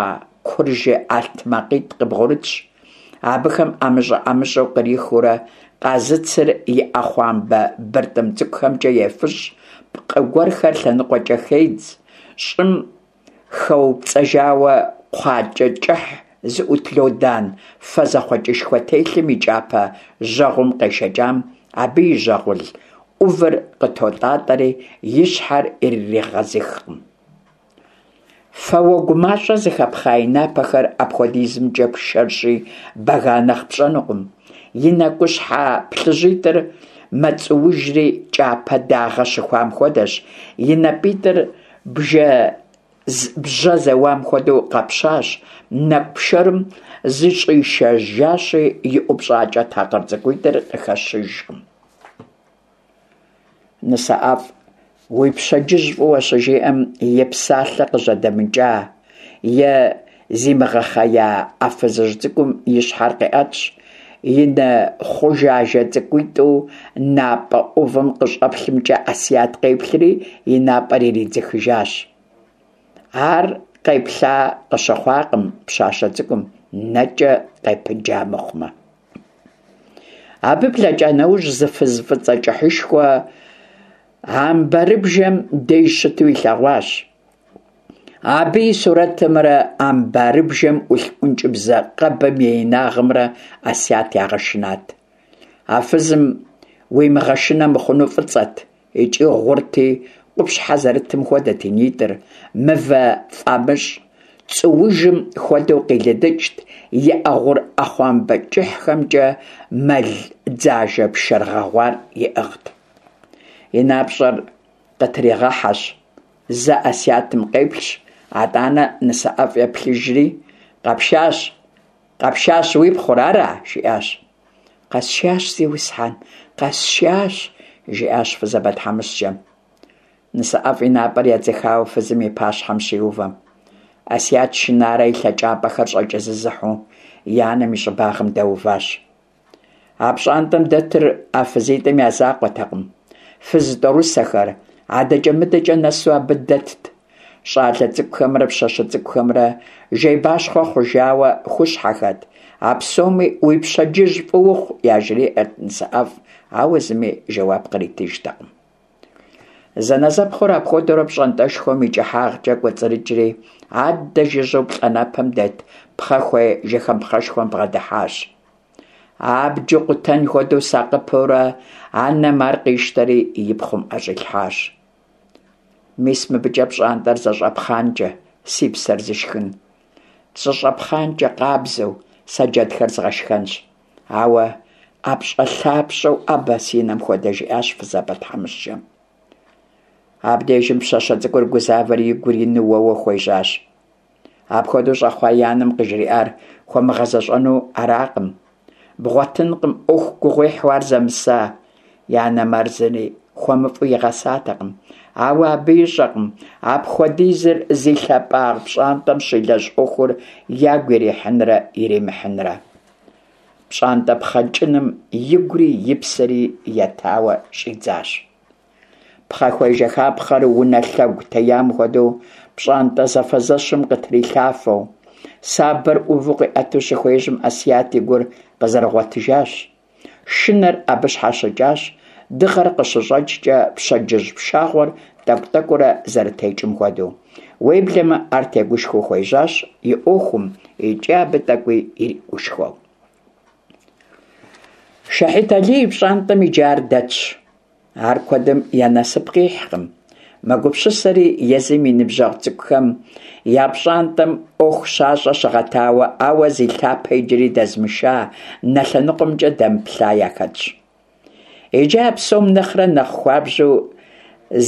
куржы ӀэлътмакъитӀ къыбгъурытщ. Абыхэм ӀэмыщӀэ-ӀэмыщӀэу кърихыурэ къазыцыр и Ӏэхъуамбэ быртӀым цӀыкӀухэмкӀэ ефыщӀ, пкъы гуэрхэр лъэныкъуэкӀэ хедз, щӀым хэупцӀэжауэ кхъуакӀэ кӀыхь зыӀут лодан фэ зэхъуэкӀышхуэ телъым и кӀапэ жьэгъум къешэкӀам абы и жьэгъул Ӏувыр къытотӀатӀэри, и щхьэр ирыригъэзыхкъым. Фэ уэгу мащӀэ зыхэпхъа и напэхэр апхуэдизымкӀэ пшэрщи, бэга нэхъ пщӀэнукъым. И нэкӀущхьэ плъыжьитӀыр мэцӀуужри кӀапэ дагъэ щыхуам хуэдэщ, и напӀитӀыр бжьэ зэуам хуэдэу къэпщащ, нэкӀу пшэрым зыщӀишэжащи, и ӀупщӀакӀэ такъыр цӀыкӀуитӀыр къыхэщыжкъым. НысэӀэфӀ «Уи пщэдджыжь фӀыуэ!» щыжиӀэм, и псалъэ къыжьэдэмыкӀа е зимыгъэхъея а фызыжь цӀыкӀум и щхьэр къиӀэтщ, и нэ хъужажэ цӏыкӏуитӏу напӏэ ӏувым къыщӏэплъымкӏэ Асият къеплъри и напӏэр иридзыхыжащ. Ар къеплъа къыщыхъуакъым пщащэ цӏыкӏум, нэкӏэ къепыджа мыхъумэ. Абы блэкӏа нэужь зы фыз фӏыцӏэ кӏыхьышхуэ амбарыбжэм деж щыту илъэгъуащ. Абы и сурэтымрэ амбарыбжэм ӏулъ ӏункӏыбзэ къэбым и инагъымрэ Асият ягъэшынат. А фызым уимыгъэшынэ мыхъуну фӏыцӏэт икӏи гъурти, къупщхьэ зэрытым хуэдэт и нитӏыр, мывэ фӏамыщӏ цӏуужым хуэдэу къилыдыкӏт, и ӏэ гъур ӏэхъуамбэ кӏыхьхэмкӏэ мэл дзажэ пшэр гъэгъуар иӏыгът. И напщӏэр къытригъэхьэщ, зэ Асиятым къеплъщ, атӏанэ нысэӏэфӏ еплъыжри, «Къэпшащ, къэпшащ уи пхъур, ара?» жиӏащ. «Къэсшащ, зиусхьэн, къэсшащ», жиӏащ фызабэ тхьэмыщкӏэм. Нысэӏэфӏ и напӏэр едзыхауэ фызым и пащхьэм щиувэм, Асият шынарэ и лъэкӏапӏэхэр щӏэкӏэзызыхьу и анэм и щӏыбагъым дэуващ. А пщӏантӏэм дэтыр а фызитӏым я закъуэтэкъым. Фыз тӏорысэхэр адэкӏэ-мыдэкӏэ нэсу абы дэтт. Щӏалэ цӏыкӏухэмрэ пщащэ цӏыкӏухэмрэ жейбащхъуэ хъужауэ хущхьэхэт. А псоми уи пщэдджыжь фӏы ухъу яжриӏэрт нысэӏэфӏ, ауэ зыми жэуап къритыжтэкъым. Зэнэзэпхъур апхуэдэурэ пщӏантӏэшхуэм и кӏыхьагъкӏэ кӏуэцӏрыкӏри, аддэ жыжьэу плӏанэпэм дэт пхъэхуей жыхапхъэшхуэм бгъэдыхьащ. Абджу къутэн хуэдэу сакъыпэурэ анэм ар къищтэри и пхъум ӏэщӏилъхьащ. Мис мыбыкӏэ пщӏантӏэр зэщӏэпхъанкӏэ, си псэр зышхын. Зэщӏэпхъанкӏэ къабзэу сэ джэдхэр згъэшхэнщ. Ауэ ӏэпщӏэлъапщӏэу ӏэбэ си нэм хуэдэ, жиӏащ фызабэ тхьэмыщкӏэм. Абдежым пщащэ цӏыкӏур гузавэри и гур ину уэуэ хуежьащ. Апхуэдэу щӏэхъуа и анэм къыжриӏар хуэмыгъэзэщӏэну аракъым. Бгъуэтынкъым ӏуэху гугъуехьу ар зэмыса. И анэм ар зыри хуэмыфӏу игъэсатэкъым. Ауэ абы ищӏэкъым апхуэдизыр зи лъапӏагъ пщӏантӏэм щилэжь ӏуэхур ягу ирихьынрэ иримыхьынрэ. Пщӏантӏэ пхъэкӏыным игури и псэри етауэ щӏидзащ. Пхъэхуей жыхапхъэр унэ лъэгу теям хуэдэу пщӏантӏэ зэфэзэщым къытрилъафэу, сабэр ӏуву къиӏэту щыхуежьэм Асият и гур къызэрыгъуэтыжащ. Шынэр абы щхьэщыкӏащ, дыгъэр къыщыщӏэкӏкӏэ пщэдджыжь пшагъуэр тӏэкӏу-тӏэкӏуурэ зэрытекӏым хуэдэу. Уеблэмэ ар тегушхуэу хуежьащ и ӏуэхум икӏи абы тӏэкӏуи иригушхуэу. Шэхьит Алий и пщӏантӏэм иджы ар дэтщ. Ар куэдым я насып къихькъым. Мэгупсысэри езым и ныбжьэгъу цӏыкӏухэм я пщӏантӏэм ӏуэху щащӏэ щыгъэтауэ, ауэ зи лъапэ иджыри дэзмыша, нэ лъэныкъуэмкӏэ дэмыплъа яхэтщ. Иджы а псом нэхърэ нэхъ хуабжьу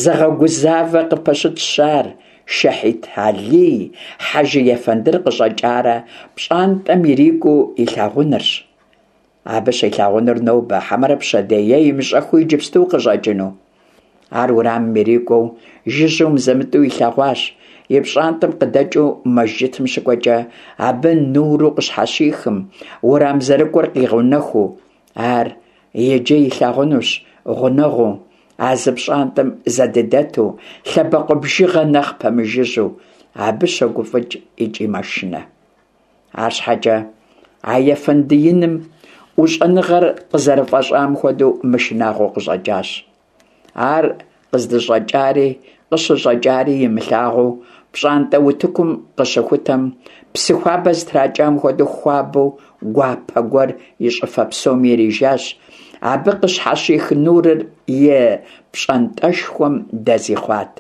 зыгъэгузавэ къыпэщытщ ар Шэхьит Алий хьэжы ефэндыр къыщӏэкӏарэ пщӏантӏэм ирикӏуэу илъагъунырщ. Абы щилъагъунур нобэ, хьэмэрэ пщэдей е имыщӏэхыу иджыпсту къыщӏэкӏыну? Ар уэрамым ирикӏуэу жыжьэу мызэ-мытӏэу илъэгъуащ. И пщӏантӏэм къыдэкӏыу мэжджытым щыкӏуэкӏэ абы нуру къыщхьэщихым, уэрам зэрыкӏуэр къигъэунэхуу. Ар иджы илъагъунущ гъунэгъуу, а зы пщӏантӏэм зэдыдэту, лъэбакъуэ бжыгъэ нэхъ пэмыжыжьэу. Абы щогуфӏыкӏ икӏи мэшынэ. Арщхьэкӏэ а ефэнды иным ӏущӏэныгъэр къызэрыфӏэщӏам хуэдэу мышынагъуэу къыщӏэкӏащ. Ар къыздыщӏэкӏари къыщыщӏэкӏари имылъагъуу пщӏантӏэ утыкум къыщыхутэм, псы хуабэ зытракӏам хуэдэу хуабэу гуапэ гуэр и щӏыфэ псоми ирижащ. Абы къыщхьэщих нурыр и пщӏантӏэшхуэм дэзи хъуат.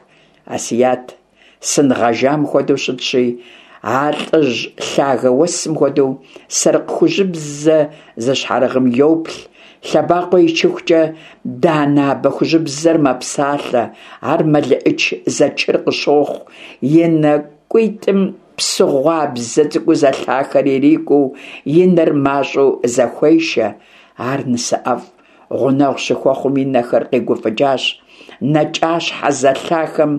Асият сын гъэжам хуэдэу щытщи, а лӏыжь лъагэ уэсым хуэдэу сэрыкъ хужьыбзэ зыщхьэрыгъым йоплъ, лъэбакъуэ ичыхукӏэ данэ абэ хужьыбзэр мэпсалъэ, ар мэлыӏыч зэчыр къыщохъу, и нэкӏуитӏым псыгъуабзэ цӏыкӏуу зэлъахэр ирикӏуэу, и нэр мащӏэу зэхуешэ. Ар нысэӏэфӏ гъунэгъу щыхуэхъум и нэхэр къигуфӏыкӏащ, нэкӏащхьэ зэлъахэм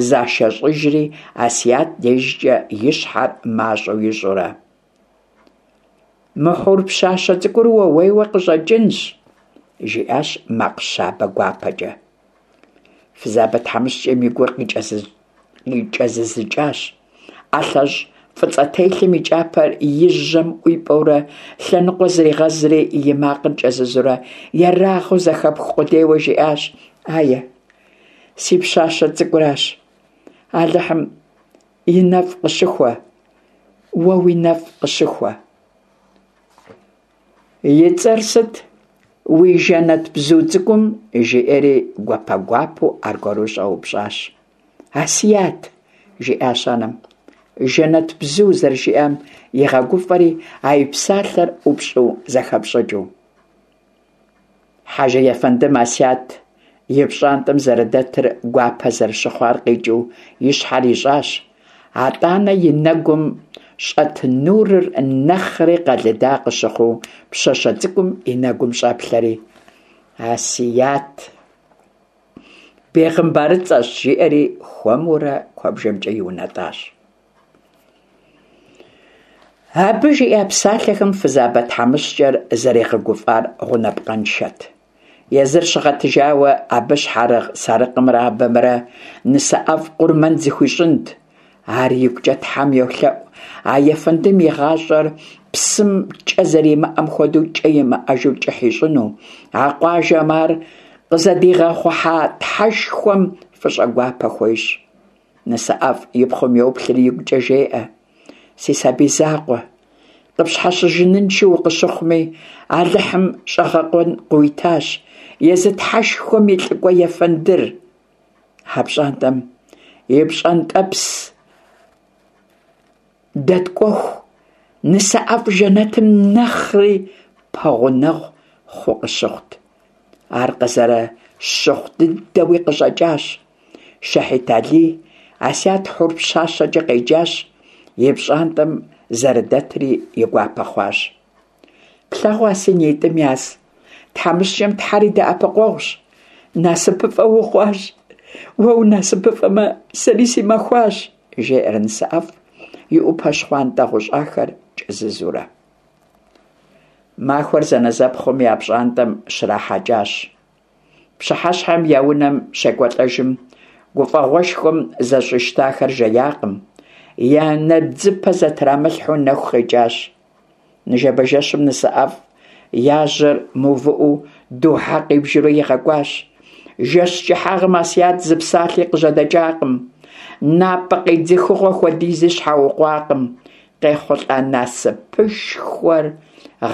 зашэщӏыжри, Асият дежкӏэ и щхьэр мащӏэу ищӏурэ. Мы хьур пщащэ цӀыкӀур ууейуэ къыщӀэкӀынщ, – жиӀащ макъ щабэ гуапэкӀэ. Фызабэ тхьэмыщкӀэм и гур къикӀэзызыкӀащ. ӀэлъэщӀ фӀыцӀэтелъым и кӀапэр и жьэм ӀуипӀэурэ лъэныкъуэ зригъэзри, и макъыр кӀэзызурэ, ерагъыу зэхэпх къудейуэ жиӀащ: «Ае, си пщащэ цӀыкӀуращ. Алыхьым и нэфӀ къыщыхуэ, уэ уи нэфӀ къыщыхуэ». «И цӀэр сыт уи жэнэтбзу цӀыкӀум?» – жиӀэри гуапэ-гуапэу аргуэру щӀэупщӀащ. «Асият», – жиӀащ анэм, «жэнэтбзу» зэрыжиӀам игъэгуфӀэри, а и псалъэр ӀупщӀу зэхэпщӀыкӀыу. Хьэжы ефэндым Асият и пщӀантӀэм зэрыдэтыр гуапэ зэрыщыхъуар къикӀыу и щхьэр ищӀащ. АтӀанэ и нэгум щӀэт нурыр нэхъри къэлыда къыщыхъуу пщащэ цӀыкӀум и нэгум щӀэплъэри: «Асият бегъымбарыцӀэщ», – жиӀэри хуэмурэ куэбжэмкӀэ иунэтӀащ. Абы жиӀа псалъэхэм фызабэ тхьэмыщкӀэр зэригъэгуфӀар гъунапкъэншэт. Езыр щыгъэтыжауэ абы щхьэрыгъ сарыкъымрэ абэмрэ НысэӀэфӀ къурмэн зыхуищӀынт. Ар игукӀэ Тхьэм йолъэӀу а ефэндым и гъащӀэр псым кӀэ зэримыӀэм хуэдэу кӀэ имыӀэжу кӀыхь ищӀыну, а къуажэм ар къызыдигъэхъухьа Тхьэшхуэм фӀыщӀэгуапэ хуещӀ. НысэӀэфӀ и пхъум йоплъри игукӀэ жеӀэ: «Си сабий закъуэ, къыпщхьэщыжыныншэу укъыщыхъуми, Алыхьым щӀэгъэкъуэн къыуитащ, езы Тхьэшхуэм и лӀыкӀуэ ефэндыр». А пщӀантӀэм и пщӀэнтӀэпс дэткӀуху, НысэӀэфӀ жэнэтым нэхъри пэгъунэгъу хъу къыщыхъут. Ар къызэрыщыхъу дыдэуи къыщӀэкӀащ. Шэхьит Алий Асият хьур пщащэкӀэ къеджащ, и пщӀантӀэм зэрыдэтри и гуапэ хъуащ. «Плъэгъуа си нитӀым яз, тхьэмыщкӀэм Тхьэр и дэӀэпыкъуэгъущ, насыпыфӀэ ухъуащ, уэ унасыпыфӀэмэ, сэри си махуащ», – жеӀэр НысэӀэфӀ и Ӏупэ щхъуантӀэ гъущӀахэр кӀэзызурэ. Махуэр зэнэзэпхъум я пщӀантӀэм щрахьэкӀащ. Пщыхьэщхьэм я унэм щекӀуэлӀэжым, гуфӀэгъуэшхуэм зэщӀищтахэр жеякъым, я нэбдзыпэ зэтрамылъхьэу нэху къекӀащ. Ныжэбэ жэщым НысэӀэфӀ я жьэр мыувыӀэу духьэ къибжурэ игъэкӀуащ. Жэщ кӀыхьагъым Асият зы псалъи къыжьэдэкӀакъым, напӀэ къедзыхыгъуэ хуэдизи щхьэукъуакъым. КъехъулӀа насыпышхуэр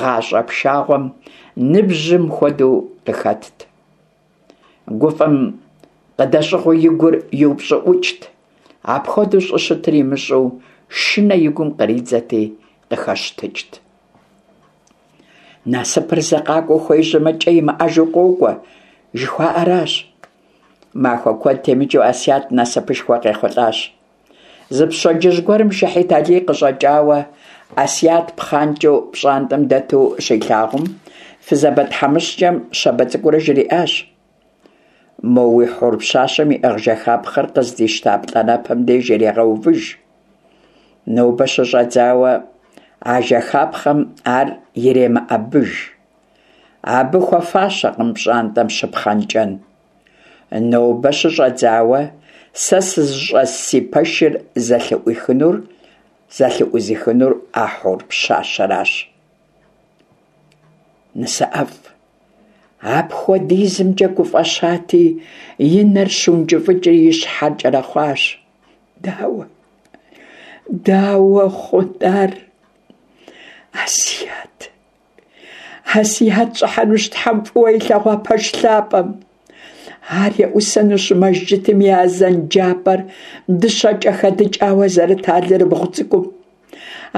гъащӀэ пшагъуэм ныбжьым хуэдэу къыхэтт. ГуфӀэм къыдэщӀыгъуу и гур иупщӀыӀукӀт, апхуэдэу щӀыщытыр имыщӀэу шынэ и гум къридзэти къыхэщтыкӀт. Насыпыр зэ къакӀуэу хуежьэмэ, кӀэ имыӀэжу къокӀуэ, жыхуаӀэращ. Махуэ куэд темыкӀыу Асият насыпышхуэ къехъулӀащ. Зы пщэдджыжь гуэрым Шэхьит Алий къыщӀэкӀауэ, Асият пхъанкӀэу пщӀантӀэм дэту щилъагъум, фызабэ тхьэмыщкӀэм щабэ цӀыкӀуурэ жриӀащ: «Мо уи хьур пщащэм иӀыгъ жэхапхъэр къыздищта плӀанэпэм деж ирегъэувыж. Нобэ щыщӀэдзауэ а жэхапхъэм ар иремыӀэбыж. Абы хуэфащэкъым пщӀантӀэм щыпхъэнкӀэн. Нобэ щыщӀэдзауэ сэ сызыщӀэс си пэшыр зэлъыӀуихынур зэлъыӀузыхынур а хьур пщащэращ». НысэӀэфӀ апхуэдизымкӀэ гуфӀэщати, и нэр щыункӀыфӀыкӀри и щхьэр кӀэрэхъуащ. Дауэ? Дауэ хъун ар? Асият! Асият щӀыхьэнущ Тхьэм фӀыуэ илъэгъуа пэш лъапӀэм. Ар еӀусэнущ мэжджытым и азэн джапӀэр дыщэкӀэ хэдыкӀауэ зэрыт алэрыбгъу цӀыкӀум.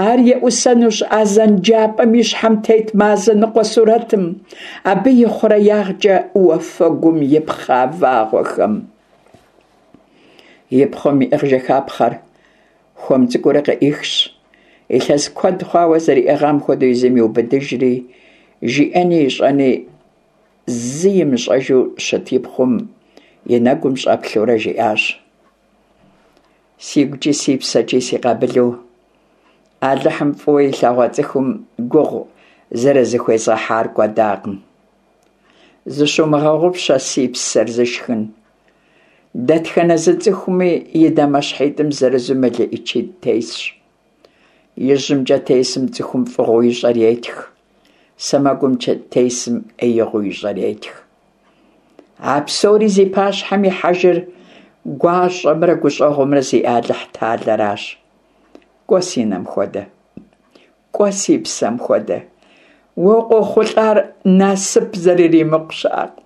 Ар еӀусэнущ азэн джапӀэм и щхьэм тет мазэ ныкъуэ сурэтым, абы и хъуреягъкӀэ уафэгум ипхъа вагъуэхэм. И пхъум иӀыгъ жэхапхъэр хуэм цӀыкӀуурэ къыӀихщ, илъэс куэд хъуауэ зэриӀыгъам хуэдэу езым иубыдыжри, жиӀэни ищӀэни зы имыщӀэжу щыт и пхъум и нэгум щӀэплъурэ жиӀащ: «СигукӀи си псэкӀи си къабылу Алыхьым фӏыуэ илъэгъуа цӏыхум гугъу зэрызыхуезгъэхьар кӏуэдакъым. Зыщумыгъэгъупщэ, си псэр зышхын, дэтхэнэ зы цӏыхуми и дамэщхьитӏым зырызу мелыӏычитӏ тесщ. Ижьымкӏэ тесым цӏыхум фӏыгъуэу ищӏэр етх, сэмэгумкӏэ тесым ӏеигъуэу ищӏэр етх. А псори зи пащхьэм ихьэжыр гуащӏэмрэ гущӏэгъумрэ зиӏэ Алыхьталэращ. Кӏуэ, си нэм хуэдэ, кӏуэ, си псэм хуэдэ, уэ къохъулӏар насып зэрыримыкъу щыӏэкъым.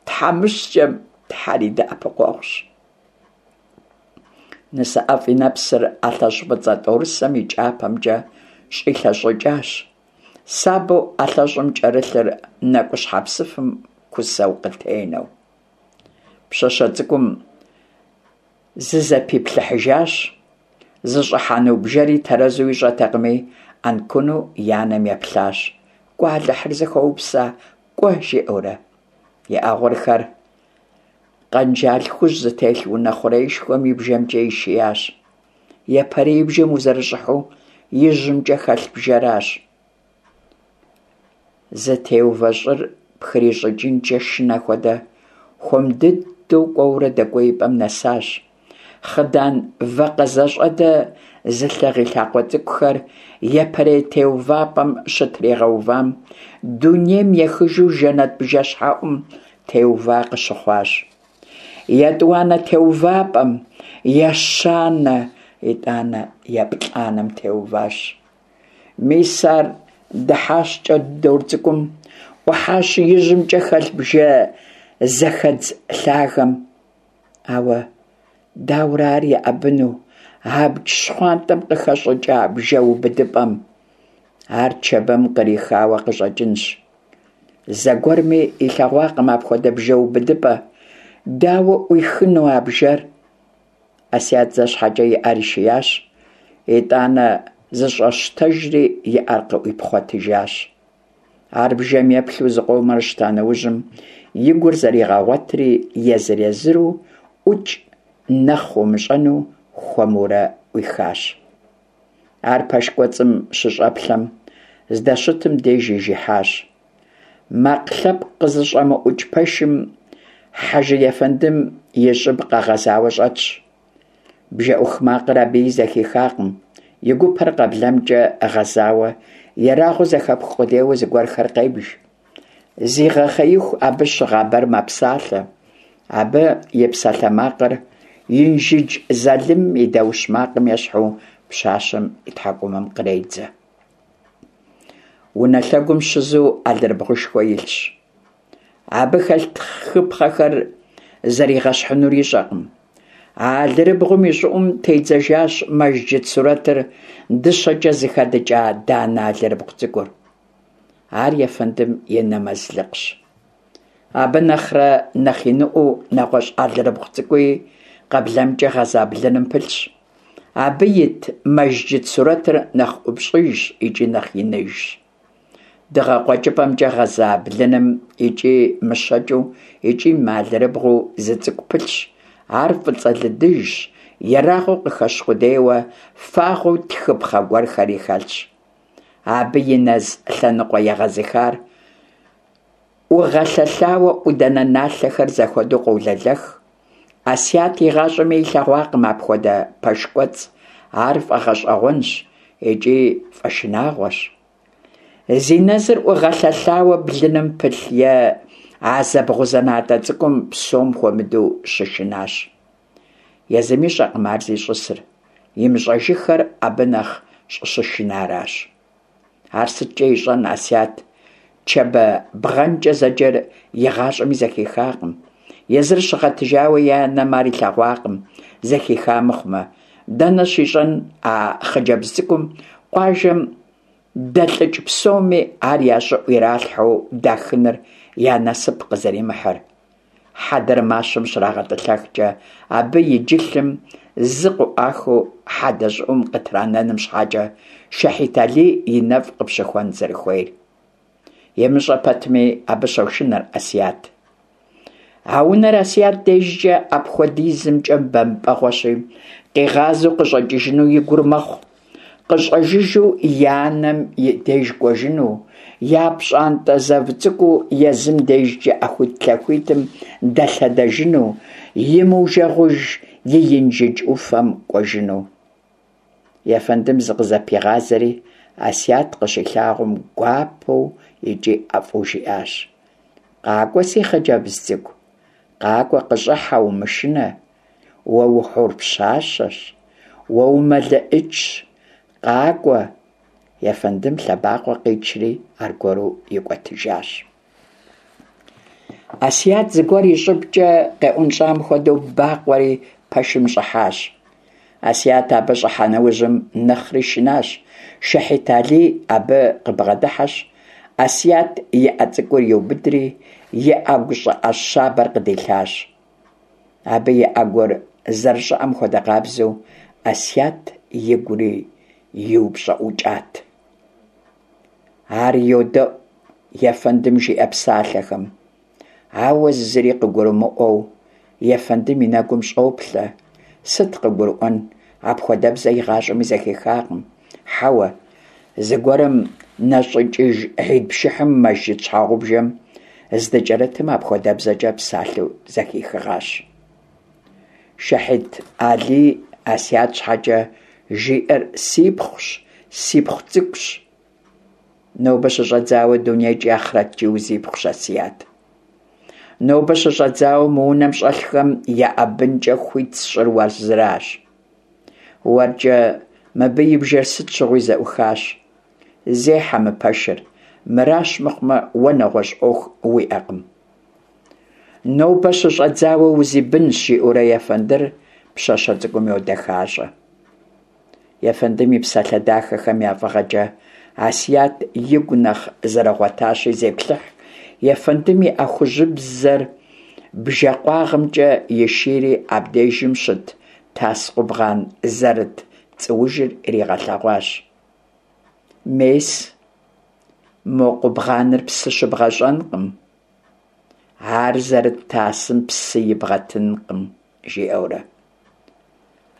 Тхьэмыщкӏэм Тхьэр и дэӏэпыкъуэгъущ. Нысэӏэфӏ и нэпсыр ӏэлъэщӏ фӏыцӏэ тӏорысэм и кӏапэмкӏэ щӏилъэщӏыкӏащ, сабэу ӏэлъэщӏым кӏэрылъыр нэкӏущхьэпсыфым кусэу къытенэу. Пщащэ цӏыкӏум зызэпиплъыхьыжащ, зыщӏыхьэну бжэри тэрэзу ищӏэтэкъыми, ӏэнкуну и анэм еплъащ. Кӏуэ, Алыхьыр зыхуэупса, кӏуэ, жиӏэурэ. И ӏэ гъурхэр къэнжал хужь зытелъ унэ хъуреишхуэм и бжэмкӏэ ишиящ. Япэрей бжэм узэрыщӏыхьэу ижьымкӏэ хэлъ бжэращ. Зытеувэ щӏыр пхрищӏыкӏынкӏэ шынэ хуэдэ, хуэм дыдэу кӏуэурэ дэкӏуеипӏэм нэсащ. Хъыдан вакъэзэщӏэдэ зылъыгъ и лъакъуэ цӏыкӏухэр япэрей теувапӏэм щытригъэувам, дунейм ехыжу жэнэт бжэщхьэӏум теува къыщыхъуащ. Етӏуанэ теувапӏэм, ещанэ, итӏанэ еплӏанэм теуващ. Мис ар дыхьащ кӏэрыдор цӏыкӏум, ӏухьащ ижьымкӏэ хэлъ бжэ зэхэдз лъагэм. Ауэ дауэрэ ар еӏэбыну абдж щхъуантӏэм къыхэщӏыкӏа бжэ убыдыпӏэм? Ар Чэбэм кърихауэ къыщӏэкӏынщ. Зэгуэрми илъэгъуакъым апхуэдэ бжэ убыдыпӏэ. Дауэ ӏуихыну а бжэр? Ӏэсият зэ щхьэкӏэ и ӏэр ишиящ, итӏанэ зыщӏэщтэжри и ӏэр къыӏуипхъуэтыжащ. Ар бжэм еплъу зыкъомрэ щыта нэужьым, и гур зэригъэгъуэтри езыр-езыру ӏукӏ нэхъ умыщӏэну хуэмурэ ӏуихащ. Ар пэш кӏуэцӏым щыщӏэплъэм, здэщытым деж ижыхьащ. Макъ лъэпкъ къызыщӏэмыӏукӏ пэшым Хьэжы ефэндым и щӏыб къэгъэзауэ щӏэтщ. Бжэӏух макъыр абыи зэхихакъым, и гупэр къэблэмкӏэ гъэзауэ, ерагъыу зэхэпх къудейуэ зыгуэрхэр къебж. Зигъэхъеиху абы щыгъабэр мэпсалъэ. Абы и псалъэмакъыр Инжыдж залымым и даущ макъым ещхьу пщащэм и тхьэкӏумэм къредзэ. Унэ лъэгум щызу алэрыбгъушхуэ илъщ. Абы хэлъ тхыпхъэхэр зэригъэщхьынур ищӏэкъым. А алэрыбгъум и щӏыӏум тедзэжащ мэжджыт сурэтыр дыщэкӏэ зыхэдыкӏа данэ алэрыбгъу цӏыкӏур. Ар ефэндым и нэмэзлыкъщ. Абы нэхърэ нэхъ иныӏуэу нэгъуэщӏ алэрыбгъу цӏыкӏуи къэблэмкӏэ гъэза блыным пылъщ. Абы ит мэжджыт сурэтыр нэхъ ӏупщӏыжщ икӏи нэхъ иныжщ. Дыгъэ къуэкӏыпӏэмкӏэ гъэза блыным икӏи мыщэкӏыу, икӏи мыалэрыбгъуу зы цӏыкӏу пылъщ. Ар фӏыцӏэ лыдыжщ, ерагъыу къыхэщ къудейуэ, фагъуэу тхыпхъэ гуэрхэри хэлъщ. Абы и нэз лъэныкъуэ егъэзыхар ӏугъэлъэлъауэ ӏуданэ налъэхэр зэхуэдэу къолэлэх. Ӏэсият игъащӏэми илъэгъуакъым апхуэдэ пэш кӏуэцӏ. Ар фӏэгъэщӏэгъуэнщ икӏи фӏэшынагъуэщ. Зи нэзыр ӏугъэлъэлъауэ блыным пылъ е а зэбгъузэнатӏэ цӏыкӏум псом хуэмыдэу щышынащ. Езым ищӏэкъым ар зищӏысыр, имыщӏэжыххэр абы нэхъ щӏыщышынаращ. Ар сыткӏэ ищӏэн Ӏэсият Чэбэ бгъэнкӏэ зэджэр игъащӏэми зэхихакъым. Езыр щыгъэтыжауэ и анэм ар илъэгъуакъым, зэхиха мыхъумэ. Дэнэ щищӏэн а хъыджэбз цӏыкӏум къуажэм дэлӏыкӏ псоми ар я щӏыӏу иралъхьэу дахыныр я насып къызэримыхьыр. Хьэдэр мащэм щрагъэтӏылъэхкӏэ, абы и джылъым зы къыӏуахыу хьэдэ щӏыӏум къытранэным щхьэкӏэ Шэхьит Алий и нэфӏ къыпщыхуэн зэрыхуейр. Имыщӏэ пэтми, абы щошынэр Ӏэсият. А унэр Ӏэсият дежкӏэ апхуэдизымкӏэ бэмпӏэгъуэщи, къигъазэу къыщӏэкӏыжыну и гур мэхъу. къыщӀэжыжу и анэм и деж кӀуэжыну, я пщӀантӀэ зэв цӀыкӀуу езым дежкӀэ Ӏэхуитлъэхуитым дэлъэдэжыну, имыужэгъуж и Инжыдж Ӏуфэм кӀуэжыну. Ефэндым зыкъызэпигъазэри, Асият къыщилъагъум, гуапэу икӀи ӀэфӀу жиӀащ: «КъакӀуэ, си хъыджэбз цӀыкӀу, къакӀуэ, къыщӀыхьэ, умышынэ. Уэ ухьур пщащэщ, уэ умэлыӀычщ, къакӀуэ». Ефэндым лъэбакъуэ къичри аргуэру икӀуэтыжащ. Асият зыгуэр и щӀыбкӀэ къеӀунщӀам хуэдэу бакъуэри пэшым щӀыхьащ. Асият абы щӀыхьа нэужьым нэхъри шынащ. Шэхьит Алий абы къыбгъэдыхьэщ, Асият и Ӏэ цӀыкӀур иубыдри, и Ӏэгу щӀыӀэ щабэр къыдилъащ. Абы и Ӏэгур зэрыщӀыӀэм хуэдэ къабзэу Асият игури иупщӀыӀукӀат. Ар йодэӀу ефэндым жиӀэ псалъэхэм, ауэ зыри къыгурымыӀуэу ефэндым и нэгум щӀоплъэ. Сыт къыгурыӀуэн, апхуэдэбзэ игъащӀэми зэхихакъым. Хьэуэ, зыгуэрым нэщӀикӀыж хьид пшыхьым мэжджыт щхьэгъубжэм здыкӀэрытым апхуэдэбзэкӀэ псалъэу зэхихыгъащ. Шэхьит Алий Асият щхьэкӀэ жиӀэр сипхъущ, сипхъу цӀыкӀущ. Нобэ щыщӀэдзауэ дунейкӀи ахърэткӀи узипхъущ, Асият. Нобэ щыщӀэдзауэ мы унэм щӀэлъхэм еӀэбынкӀэ хуит сщӀыр уэ зыращ. УэркӀэ мыбы и бжэр сыт щыгъуи зэӀухащ. Зехьэ мы пэшыр, мыращ мыхъумэ, уэ нэгъуэщӀ Ӏуэху уиӀэкъым. Нобэ щыщӀэдзауэ узибынщ, жиӀэурэ ефэндыр пщащэ цӀыкӀум йодэхащӀэ. Ефэндым и псалъэ дахэхэм я фӀыгъэкӀэ Асият игу нэхъ зэрыгъуэтащи зеплъыхь. Ефэндым и Ӏэ хужьыбзэр бжэкъуагъымкӀэ ишийри абдежым щыт тас къубгъан зэрыт цӀуужыр иригъэлъэгъуащ. Мес, мо къубгъаныр псы щыбгъэщӀэнкъым, ар зэрыт тасым псы ибгъэтынкъым, жиӀэурэ.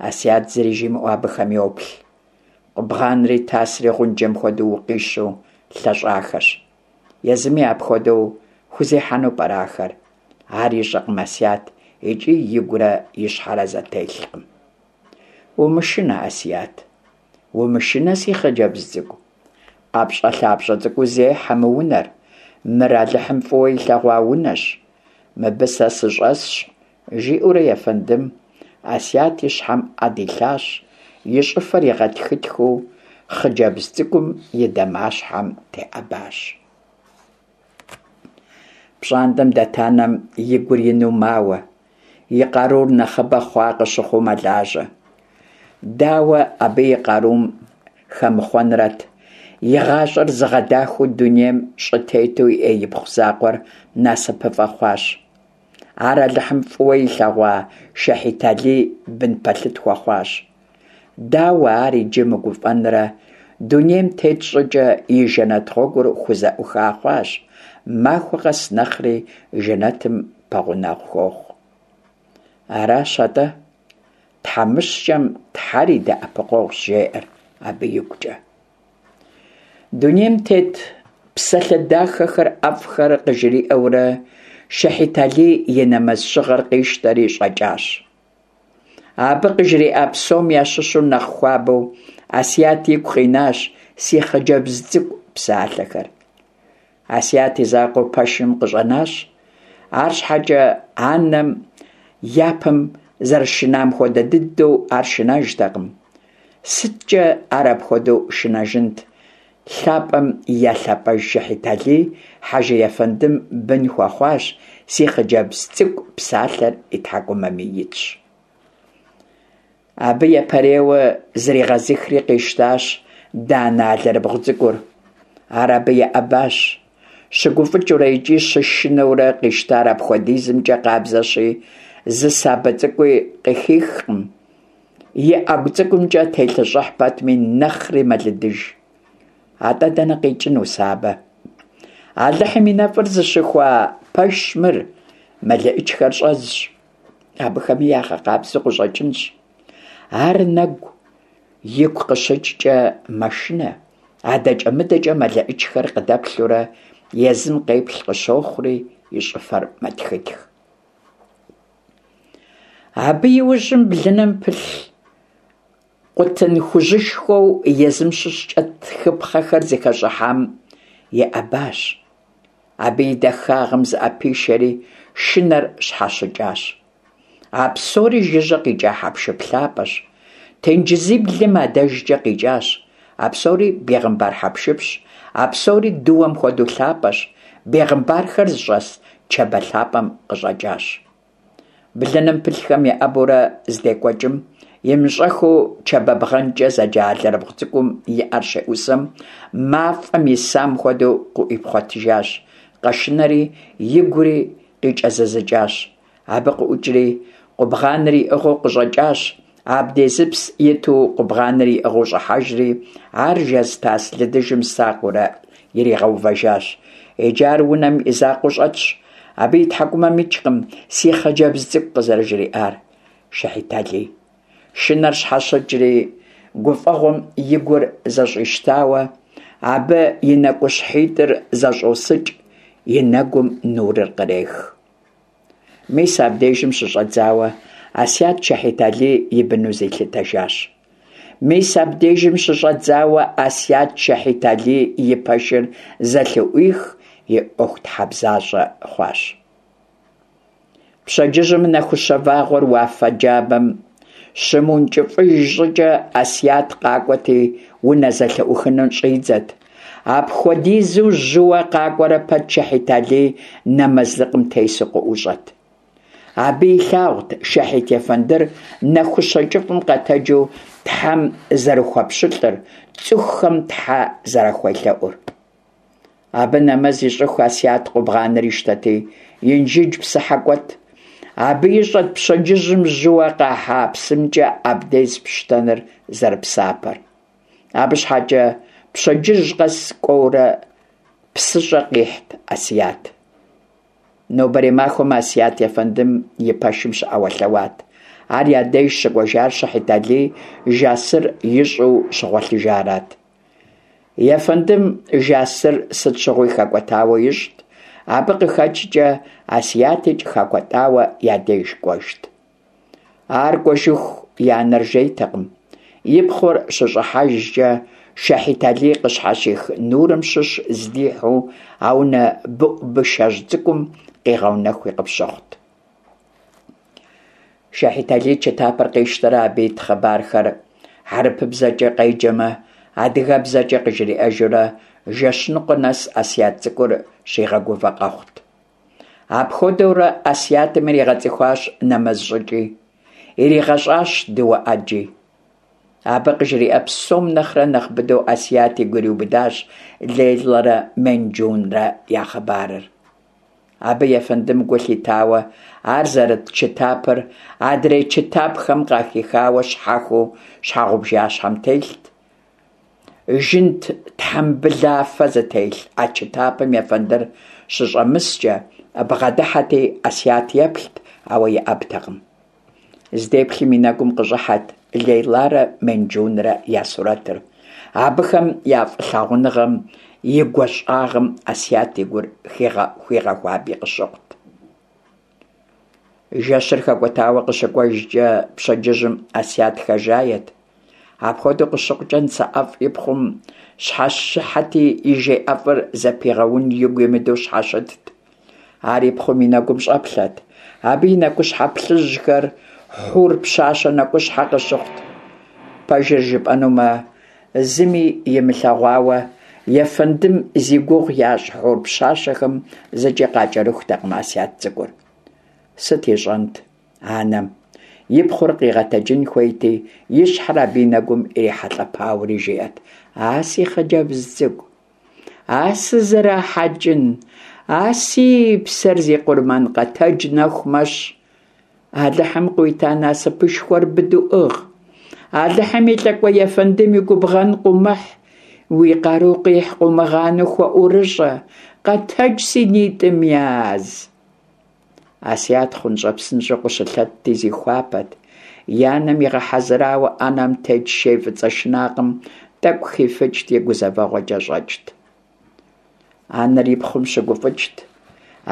Асият зыри жимыӀэу абыхэм йоплъ. Къубгъанри тасри гъунджэм хуэдэу укъищу лъэщӀахэщ. Езыми апхуэдэу хузехьэну пӀэрэ ахэр? Ар ищӀэкъым Асият икӀи игурэ и щхьэрэ зэтелъкъым. Умышынэ, Асият, умышынэ, си хъыджэбз цӀыкӀу. ӀэпщӀэлъапщӀэ цӀыкӀуу зехьэ мы унэр. Мыр Алыхьым фӀыуэ илъэгъуа унэщ. Мыбы сэ сыщӀэсщ, жиӀэурэ ефэндым Асият и щхьэм Ӏэ дилъащ, и щӀыфэр игъэтхытхыу хъыджэбз цӀыкӀум и дамащхьэм теӀэбащ. ПщӀантӀэм дэт анэм и гур ину мауэ, и къарур нэхъыбэ хъуа къыщыхъуу мэлажьэ. Дауэ абы и къарум хэмыхъуэнрэт? И гъащӀэр зыгъэдахэу дунейм щӀытету иӀэ ипхъу закъуэр насыпыфӀэ хъуащ. Ар Алыхьым фӀыуэ илъэгъуа Шэхьит Алий бын пэлъыт хуэхъуащ. Дауэ ар иджы мыгуфӀэнрэ? Дунейм тет щӀыкӀэ и жэнэт гъуэгур хузэӀуха хъуащ, махуэ къэс нэхъри жэнэтым пэгъунэгъу хуохъу. Аращ атӀэ, тхьэмыщкӀэм Тхьэр и дэӀэпыкъуэгъущ, жеӀэр абы игукӀэ. Дунейм тет псалъэ дахэхэр, ӀэфӀхэр къыжриӀэурэ Шэхьит Алий и нэмэз щыгъэр къищтэри щӀэкӀащ. Абы къыжриӀа псом ящыщу нэхъ хуабэу Асият игу къинащ «си хъыджэбз цӀыкӀу» псалъэхэр. Асият и закъуэу пэшым къыщӀэнащ. АрщхьэкӀэ анэм япэм зэрышынам хуэдэ дыдэу ар шынэжтэкъым. СыткӀэ ар апхуэдэу шынэжынт? ЛъапӀэм я лъапӀэж Шэхьит Алий хьэжы ефэндым бын хуэхъуащ, си хъыджэбз цӀыкӀу псалъэр и тхьэкӀумэми итщ. Абы япэрейуэ зригъэзыхри къищтащ данэ алэрыбгъу цӀыкӀур. Ар абы еӀэбащ. ЩыгуфӀыкӀыурэ икӀи щышынэурэ къищтар апхуэдизымкӀэ къабзэщи, зы сабэ цӀыкӀуи къыхихкъым. И Ӏэгу цӀыкӀумкӀэ телъэщӀыхь пэтми, нэхъри мэлыдыж. АтӀэ дэнэ къикӀыну сабэ? Алыхьым и нэфӀыр зыщыхуа пэшщ мыр, мэлыӀычхэр щӀэзщ. Абыхэми ягъэкъабзэу къыщӀэкӀынщ. Ар нэгу Игу къыщыкӏкӏэ мэшынэ, адэкӏэ-мыдэкӏэ мэлэӏычхэр къыдэплъурэ езым къеплъ къыщохъури, и щӏыфэр мэтхытх. Абы иужьым блыным пылъ къутын хужьышхуэу езым щыщкӏэ тхыпхъэхэр зыхэщӏыхьам еӏэбащ. Абы и дахагъым зыӏэпишэри, шынэр щхьэщыкӏащ. А псори жыжьэ къикӏа хьэпшып лъапӏэщ. Тенджызиблым адэжкӏэ къикӏащ. А псори бегъымбар хьэпшыпщ. А псори дыуэм хуэдэу лъапӏэщ. Бегъымбархэр зыщӏэс Чэбэ лъапӏэм къыщӏэкӏащ. Блыным пылъхэм еӏэбурэ здекӏуэкӏым, имыщӏэххэу Чэбэ бгъэнкӏэ зэджэ алэрыбгъу цӏыкӏум и ӏэр щеӏусэм, мафӏэм исам хуэдэу къыӏуипхъуэтыжащ. Къэшынэри, игури къикӏэзызыкӏащ. Абы къыӏукӏри, къубгъаныр иӏыгъыу къыщӏэкӏащ. Абдезыпс иту къубгъаныр иӏыгъыу щӏыхьэжри, ар жэз тас лыдыжым сакъыурэ иригъэувэжащ. Иджы ар унэм и закъуэу щӏэтщ. Абы и тхьэкӏумэм икӏкъым си хъыджэбз цӏыкӏу къызэрыжриӏар. Шэхьит Алий. Шынэр щхьэщыкӏри, гуфӏэгъуэм и гур зэщӏищтауэ, абы и нэкӏущхьитӏыр зэщӏосыкӏ, и нэгум нурыр кърех. Мис абдежым щыщӏэдзауэ Асят Шэхьит Алий и быну зилъытэжащ. Мис абдежым щыщӏэдзауэ Асят Шэхьит Алий и пэшыр зэлъыӏуих и ӏуэхутхьэбзащӏэ хъуащ. Пщэдджыжьым нэхущэ вагъуэр уафэ джабэм щымыункӏыфӏыж щӏыкӏэ Асят къакӏуэти унэ зэлъыӏухыным щӏидзэт. Апхуэдизу жьыуэ къакӏуэрэ пэт Шэхьит Алий нэмэзлыкъым тесу къыӏущӏэт. Абы илъагъут Шэхьит ефэндыр нэхущэ кӏыфӏым къэтэджу Тхьэм зэрыхуэпщылӏыр, цӏыхухэм Тхьэ зэрахуелъэӏур. Абы нэмэз ищӏыху Асят къубгъаныр ищтэти, Инжыдж псыхьэ кӏуэт. Абы ищӏэт пщэдджыжьым жьыуэ къахьа псымкӏэ абдез пщтэныр зэрыпсапэр. Абы щхьэкӏэ пщэдджыжь къэс кӏуэурэ псыщӏэ къихьт Асят. Нобэрей махуэм Асят ефэндым и пэшым щыӏэуэлъэуат. Ар я деж щыкӏуэжар Шэхьит Алий жасыр ищӏу щыгъуэлъыжарат. Ефэндым жасыр сыт щыгъуи хэкӏуэтауэ ищӏт. Абы къыхэкӏкӏэ Асятикӏ хэкӏуэтауэ я деж кӏуэжт. Ар кӏуэжыху и анэр жейтэкъым. И пхъур щыщӏыхьэжкӏэ Шэхьит Алий къыщхьэщих нурым щыщ здихьу а унэ быӏу-бышэжь цӏыкӏум къигъэунэхуи къыпщыхъут. Шэхьит Алий чытапыр къищтэрэ абы ит хъыбархэр хьэрыпыбзэкӏэ къеджэмэ, адыгэбзэкӏэ къыжриӏэжурэ жэщ ныкъуэ нэс Асят цӏыкӏур щигъэгувэ къэхъут. Апхуэдэурэ Асятым иригъэцӏыхуащ нэмэз щӏыкӏи, иригъэщӏащ дыуэ ӏэджи. Абы къыжриӏэ псом нэхърэ нэхъ быдэу Асят игу ириубыдащ Лейлэрэ Менджунрэ я хъыбарыр. Абы ефэндым гу лъитауэ, ар зэрыт чытапыр адрей чытапхэм къахихауэ щхьэхуэу щхьэгъубжащхьэм телът. Жынт тхьэмбылафэ зытелъ а чытапым ефэндыр щыщӏэмыскӏэ бгъэдыхьэти Асят еплът, ауэ еӏэбтэкъым. Здеплъым и нэгум къыщӏыхьэт Лейларэ Менджунрэ я сурэтыр. Абыхэм я фӏылъагъуныгъэм и гуащӏагъым Асят и гур хуигъэхуаби къыщыхъут. Жэщыр хэкӏуэтауэ къыщыкӏуэжкӏэ пщэдджыжьым Асят хэжает. Апхуэдэу къыщыхъукӏэ нысэӏэфӏ и пхъум щхьэщыхьэти и жей ӏэфӏыр зэпигъэун игу имыдэу щхьэщытт. Ар и пхъум и нэгум щӏэплъэт. Абы и нэкӏущхьэ плъыжьхэр хьур пщащэ нэкӏущхьэ къыщыхъут. Пэжыр жыпӏэнумэ, зыми имылъэгъуауэ, ефэндым зи гугъу ящӏ хьур пщащэхэм зыкӏи къакӏэрыхутэкъым Асят цӏыкӏур. Сыт ищӏэнт анэм? И пхъур къигъэтэджын хуейти, и щхьэр абы и нэгум ирихьэлӏэпауэри жиӏэт: «А си хъыджэбз цӏыкӏу, а сызэрахьэкӏын, а си псэр зи къурмэн къэтэдж нэху мэщ. Алыхьым къыуита насыпышхуэр быдэу ӏыгъ. Алыхьым и лӏыкӏуэ ефэндым и губгъэн къыумыхь, уи къару къихь къыумыгъанэу хуэӏурыщӏэ, къэтэдж си нитӏым яз». Асят хъунщӏэ псынщӏэу къыщылъэтти зихуапэт. И анэм игъэхьэзырауэ ӏэнэм тет шей фӏыцӏэ шынакъым тӏэкӏу хифыкӏти, гузэвэгъуэкӏэ щӏэкӏт. Анэр и пхъум щыгуфӏыкӏт,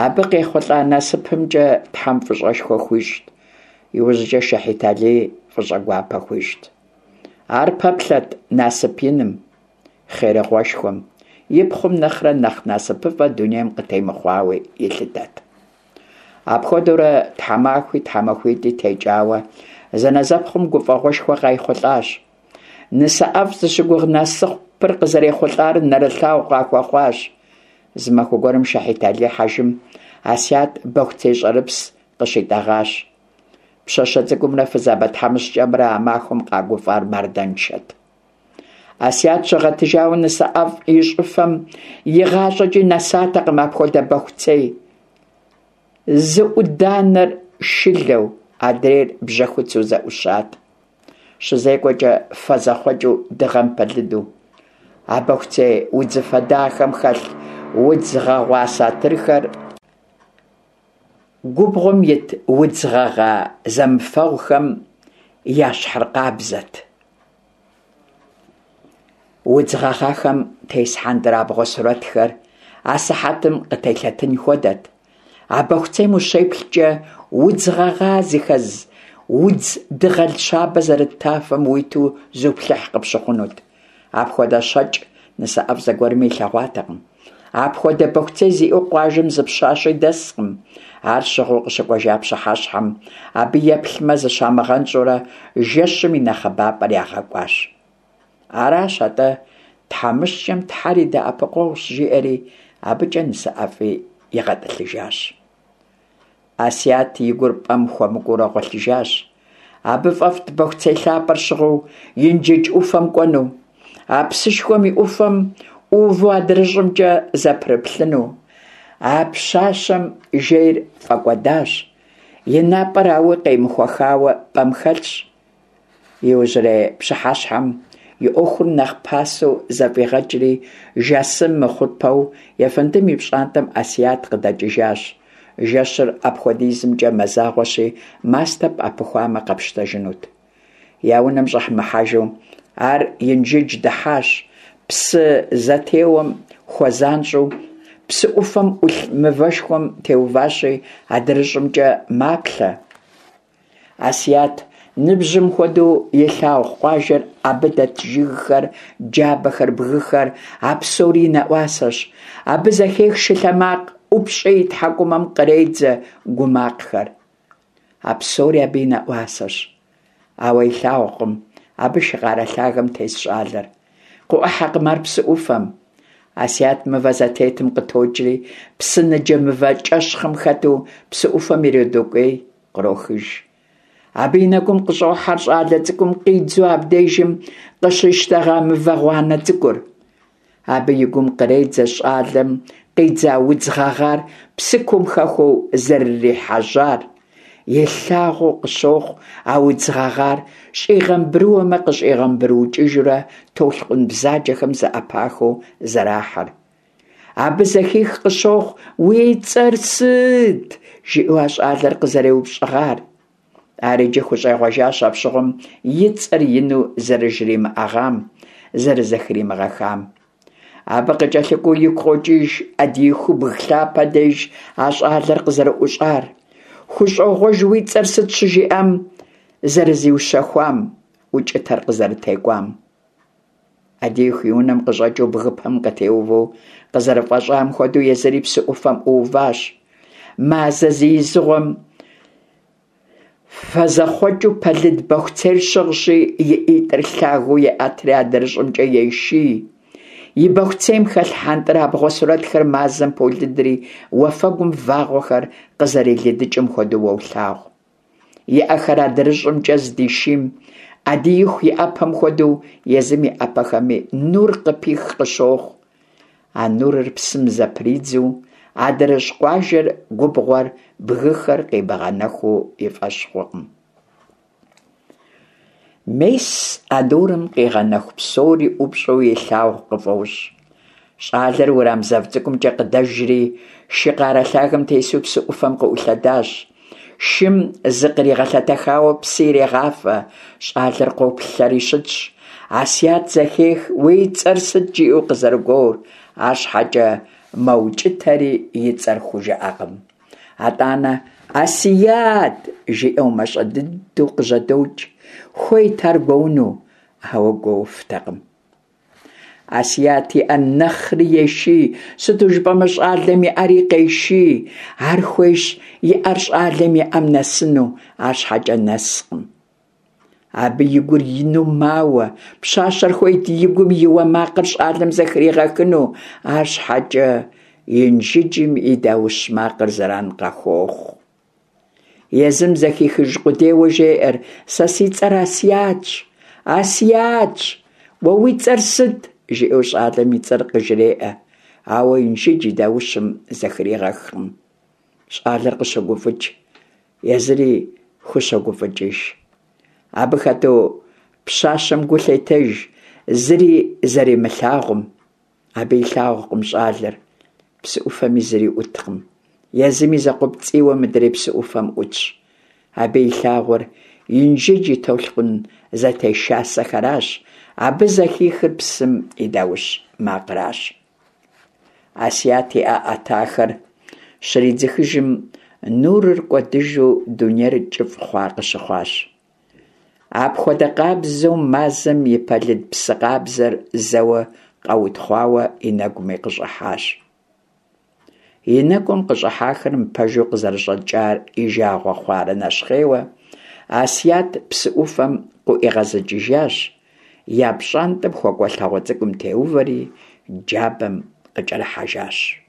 абы къехъулӏа насыпымкӏэ Тхьэм фӏыщӏэшхуэ хуищӏт, иужькӏэ Шэхьит-Алии фӏыщӏэгуапэ хуищӏт. Ар пэплъэт насып иным, хъерыгъуэшхуэм, и пхъум нэхърэ нэхъ насыпыфӏэ дунейм къытемыхъуауи илъытэт. Апхуэдэурэ тхьэмахуи тхьэмахуитӏи текӏауэ, зэнэзэпхъум гуфӏэгъуэшхуэ къайхъулӏащ. Нысэ ӏэфӏ зыщыгугъ насыпыр къызэрехъулӏар нэрылъагъу къахуэхъуащ. Зы махуэ гуэрым Шэхьит-Алий хьэжым Асят бэхуцей щӏэрыпс къыщитӏэгъащ. Пщащэ цӏыкӏумрэ фызабэ тхьэмыщкӏэмрэ а махуэм къагуфӏар мардэншэт. Асят щыгъэтыжауэ нысэ ӏэфӏ и щӏыфэм игъащӏэкӏи нэсатэкъым апхуэдэ бэхуцей. Зы ӏуданэр шылэу, адрейр бжьэхуцу зэӏущат. Щызекӏуэкӏэ фэ зэхъуэкӏыу дыгъэм пэлыду. А бэхуцей удзыфэ дахэм хэлъ удз гъэгъуа сатырхэр губгъуэм ит удз гъэгъа зэмыфэгъухэм ящхьыркъабзэт. Удз гъэгъахэм тес хьэндырабгъуэ сурэтхэр асыхьэтым къытелъэтын хуэдэт. А бэхуцейм ущеплъкӏэ удз гъэгъа зыхэз удз дыгъэл щабэ зэрыт тафэм уиту зуплъыхь къыпщыхъунут. Апхуэдэ щэкӏ нысэ ӏэфӏ зэгуэрми илъэгъуатэкъым. Апхуэдэ бэхуцей зиӏэу къуажэм зы пщащи дэскъым. Ар щыгъыу къыщыкӏуэжа пщыхьэщхьэм абы еплъмэ зыщамыгъэнщӏурэ жэщым и нэхъыбапӏэр ягъэкӏуащ. Аращ атӏэ тхьэмыщкӏэм Тхьэр и дэӏэпыкъуэгъущ, жиӏэри абыкӏэ нысэ ӏэфӏи игъэтӏылъыжащ. Асят и гур пӏэм хуэмыкӏуэурэ гъуэлъыжащ. Абы фӏэфӏт бэхуцей лъапӏэр щыгъыу Инжыдж ӏуфэм кӏуэну, а псышхуэм и ӏуфэм ӏуву адрыщӏымкӏэ зэпрыплъыну. А пщащэм жейр фӏэкӏуэдащ, и напӏэр ауи къемыхуэхауэ пӏэм хэлъщ. Иужьрей пщыхьэщхьэм и ӏуэхур нэхъ пасэу зэфӏигъэкӏри, жасым мыхъупэу ефэндым и пщӏантӏэм Асят къыдэкӏыжащ. Жэщыр апхуэдизымкӏэ мазагъуэщи, мастэ пӏэпыхуамэ къэпщтэжынут. Я унэм щӏэмыхьэжу ар Инжыдж дыхьащ, псы зэтеуэм хуэзанщӏэу псы ӏуфэм ӏулъ мывэшхуэм теуващи, адрыщӏымкӏэ маплъэ. Асят ныбжьым хуэдэу илъагъу къуажэр, абы дэт жыгхэр, джабэхэр, бгыхэр, а псори и нэӏуасэщ. Абы зэхех шылъэ макъ, ӏупщӏи и тхьэкӏумэм къредзэ гу макъхэр. А псори абы и нэӏуасэщ. Ауэ илъагъукъым абы шы къарэ лъагэм тес щӏалэр. Къыӏухьэкъым ар псы ӏуфэм. Асят мывэ зэтетым къытокӏри, псы ныджэ мывэ кӏэщхъым хэту псы ӏуфэм иродокӏуей, кърохыж. Абы и нэгум къыщӏохьэр щӏалэ цӏыкӏум къидзу абдежым къыщищтэгъа мывэ гъуанэ цӏыкӏур. Абы и гум къредзэ щӏалэм къидза удз гъэгъар псыкум хэхуэу зэрырихьэжьар. Илъагъуу къыщохъу а удз гъэгъар щӏигъэмбрыуэмэ къыщӏигъэмбрыукӏыжурэ толъкъун бзаджэхэм зэӏэпахыу зэрахьэр. Абы зэхих къыщохъу «Уи цӏэр сыт?» жиӏэу а щӏалэр къызэреупщӏыгъар. Ар иджы хущӏегъуэжащ апщыгъуэм и цӏэр ину зэрыжримыӏэгъам, зэрызэхримыгъэхам. Абы къыкӏэлъыкӏуэу игу къокӏыж Ӏэдиихубг лъапэ деж а щӏалэр къызэрыӏущӏар. Хущӏогъуэж уи цӏэр сыт щыжиӏам зэрызиущэхуам, укӏытэр къызэрытекӏуам. Ӏэдииху и унэм къыщӏэкӏыу бгыпэм къытеувэу къызэрыфӏэщӏам хуэдэу езыри псы ӏуфэм ӏууващ. Мазэ зи изыгъуэм фэзэхъуэкӏыу пэлыд бэхуцейр щыгъщи, и ӏитӏыр лъагэу еӏэтри адрыщӏымкӏэ еший. И бэхуцейм хэлъ хьэнтӏрабгъуэ сурэтхэр мазэм полыдри, уафэгум вагъуэхэр къызэрилыдыкӏым хуэдэу уолъагъу. И ӏэхэр адрыщӏымкӏэ здишийм, Ӏэдииху и ӏэпэм хуэдэу езым и ӏэпэхэми нур къыпих къыщохъу. А нурыр псым зэпридзу, адрыщӏ къуажэр, губгъуэр, бгыхэр къимыгъэнэхуу и фӏэщ хъукъым. Мес а нурым къигъэнэху псори ӏупщӏу илъагъу къыфӏощӏ. Щӏалэр уэрам зэв цӏыкӏумкӏэ къыдэжри, шы къарэ лъагэм тесу псы ӏуфэм къыӏулъэдащ. Шым зыкъригъэлъэтэхауэ псы ирегъафэ, щӀалэр къоплъэри щытщ. Асият зэхех «уи цӀэр сыт?» жиӀэу къызэрыгуор, арщхьэкӀэ мэукӀытэри и цӀэр хужыӀэркъым. АтӀанэ «Асият!» жиӀэу мащӀэ дыдэу къыжьэдокӀ. Хуейт ар гуоуну, ауэ гуоуфтэкъым. Асият и Ӏэр нэхъри еший, сыту жыпӀэмэ щӀалэм и Ӏэри къеший. Ар хуейщ и Ӏэр щӀалэм и Ӏэм нэсыну, арщхьэкӀэ нэскъым. Абы и гур ину мауэ. Пщащэр хуейт и гум и уэ макъыр щӀалэм зэхригъэхыну, арщхьэкӀэ Инжыджым и даущ макъыр зэран къахуохъу. Езым зэхихыж къудейуэ жеӀэр: «Сэ си цӀэр Асиятщ! Асиятщ! Уэ уи цӀэр сыт?» жиӀэу щӀалэм и цӀэр къыжреӀэ, ауэ Инжыдж и даущым зэхригъэхкъым. ЩӀалэр къыщогуфӀыкӀ, езыри хущогуфӀыкӀыж. Абы хэту пщащэм гу лъетэж зыри зэримылъагъум. Абы илъагъукъым щӀалэр, псы Ӏуфэми зыри Ӏуткъым. Езыми закъуэпцӀийуэ мыдрей псы Ӏуфэм Ӏутщ. Абы илъагъур Инжыдж и толъкъун зэтешасэхэращ, абы зэхихыр псым и даущ макъращ. Асият и Ӏэ Ӏэтахэр щридзыхыжым, нурыр кӀуэдыжу дунейр кӀыфӀ хъуа къыщыхъуащ. Апхуэдэ къабзэу мазэм и пэлыд псы къабзэр зэуэ къэутхъуауэ и нэгуми къыщӀыхьащ. И нэгум къыщӀыхьахэр мыпэжу къызэрыщӀэкӀар и жагъуэ хъуарэ нэщхъейуэ, Асият псы Ӏуфэм къыӀуигъэзыкӀыжащ, я пщӀантӀэм хуэкӀуэ лъагъуэ цӀыкӀум теувэри джабэм къыкӀэрыхьэжащ.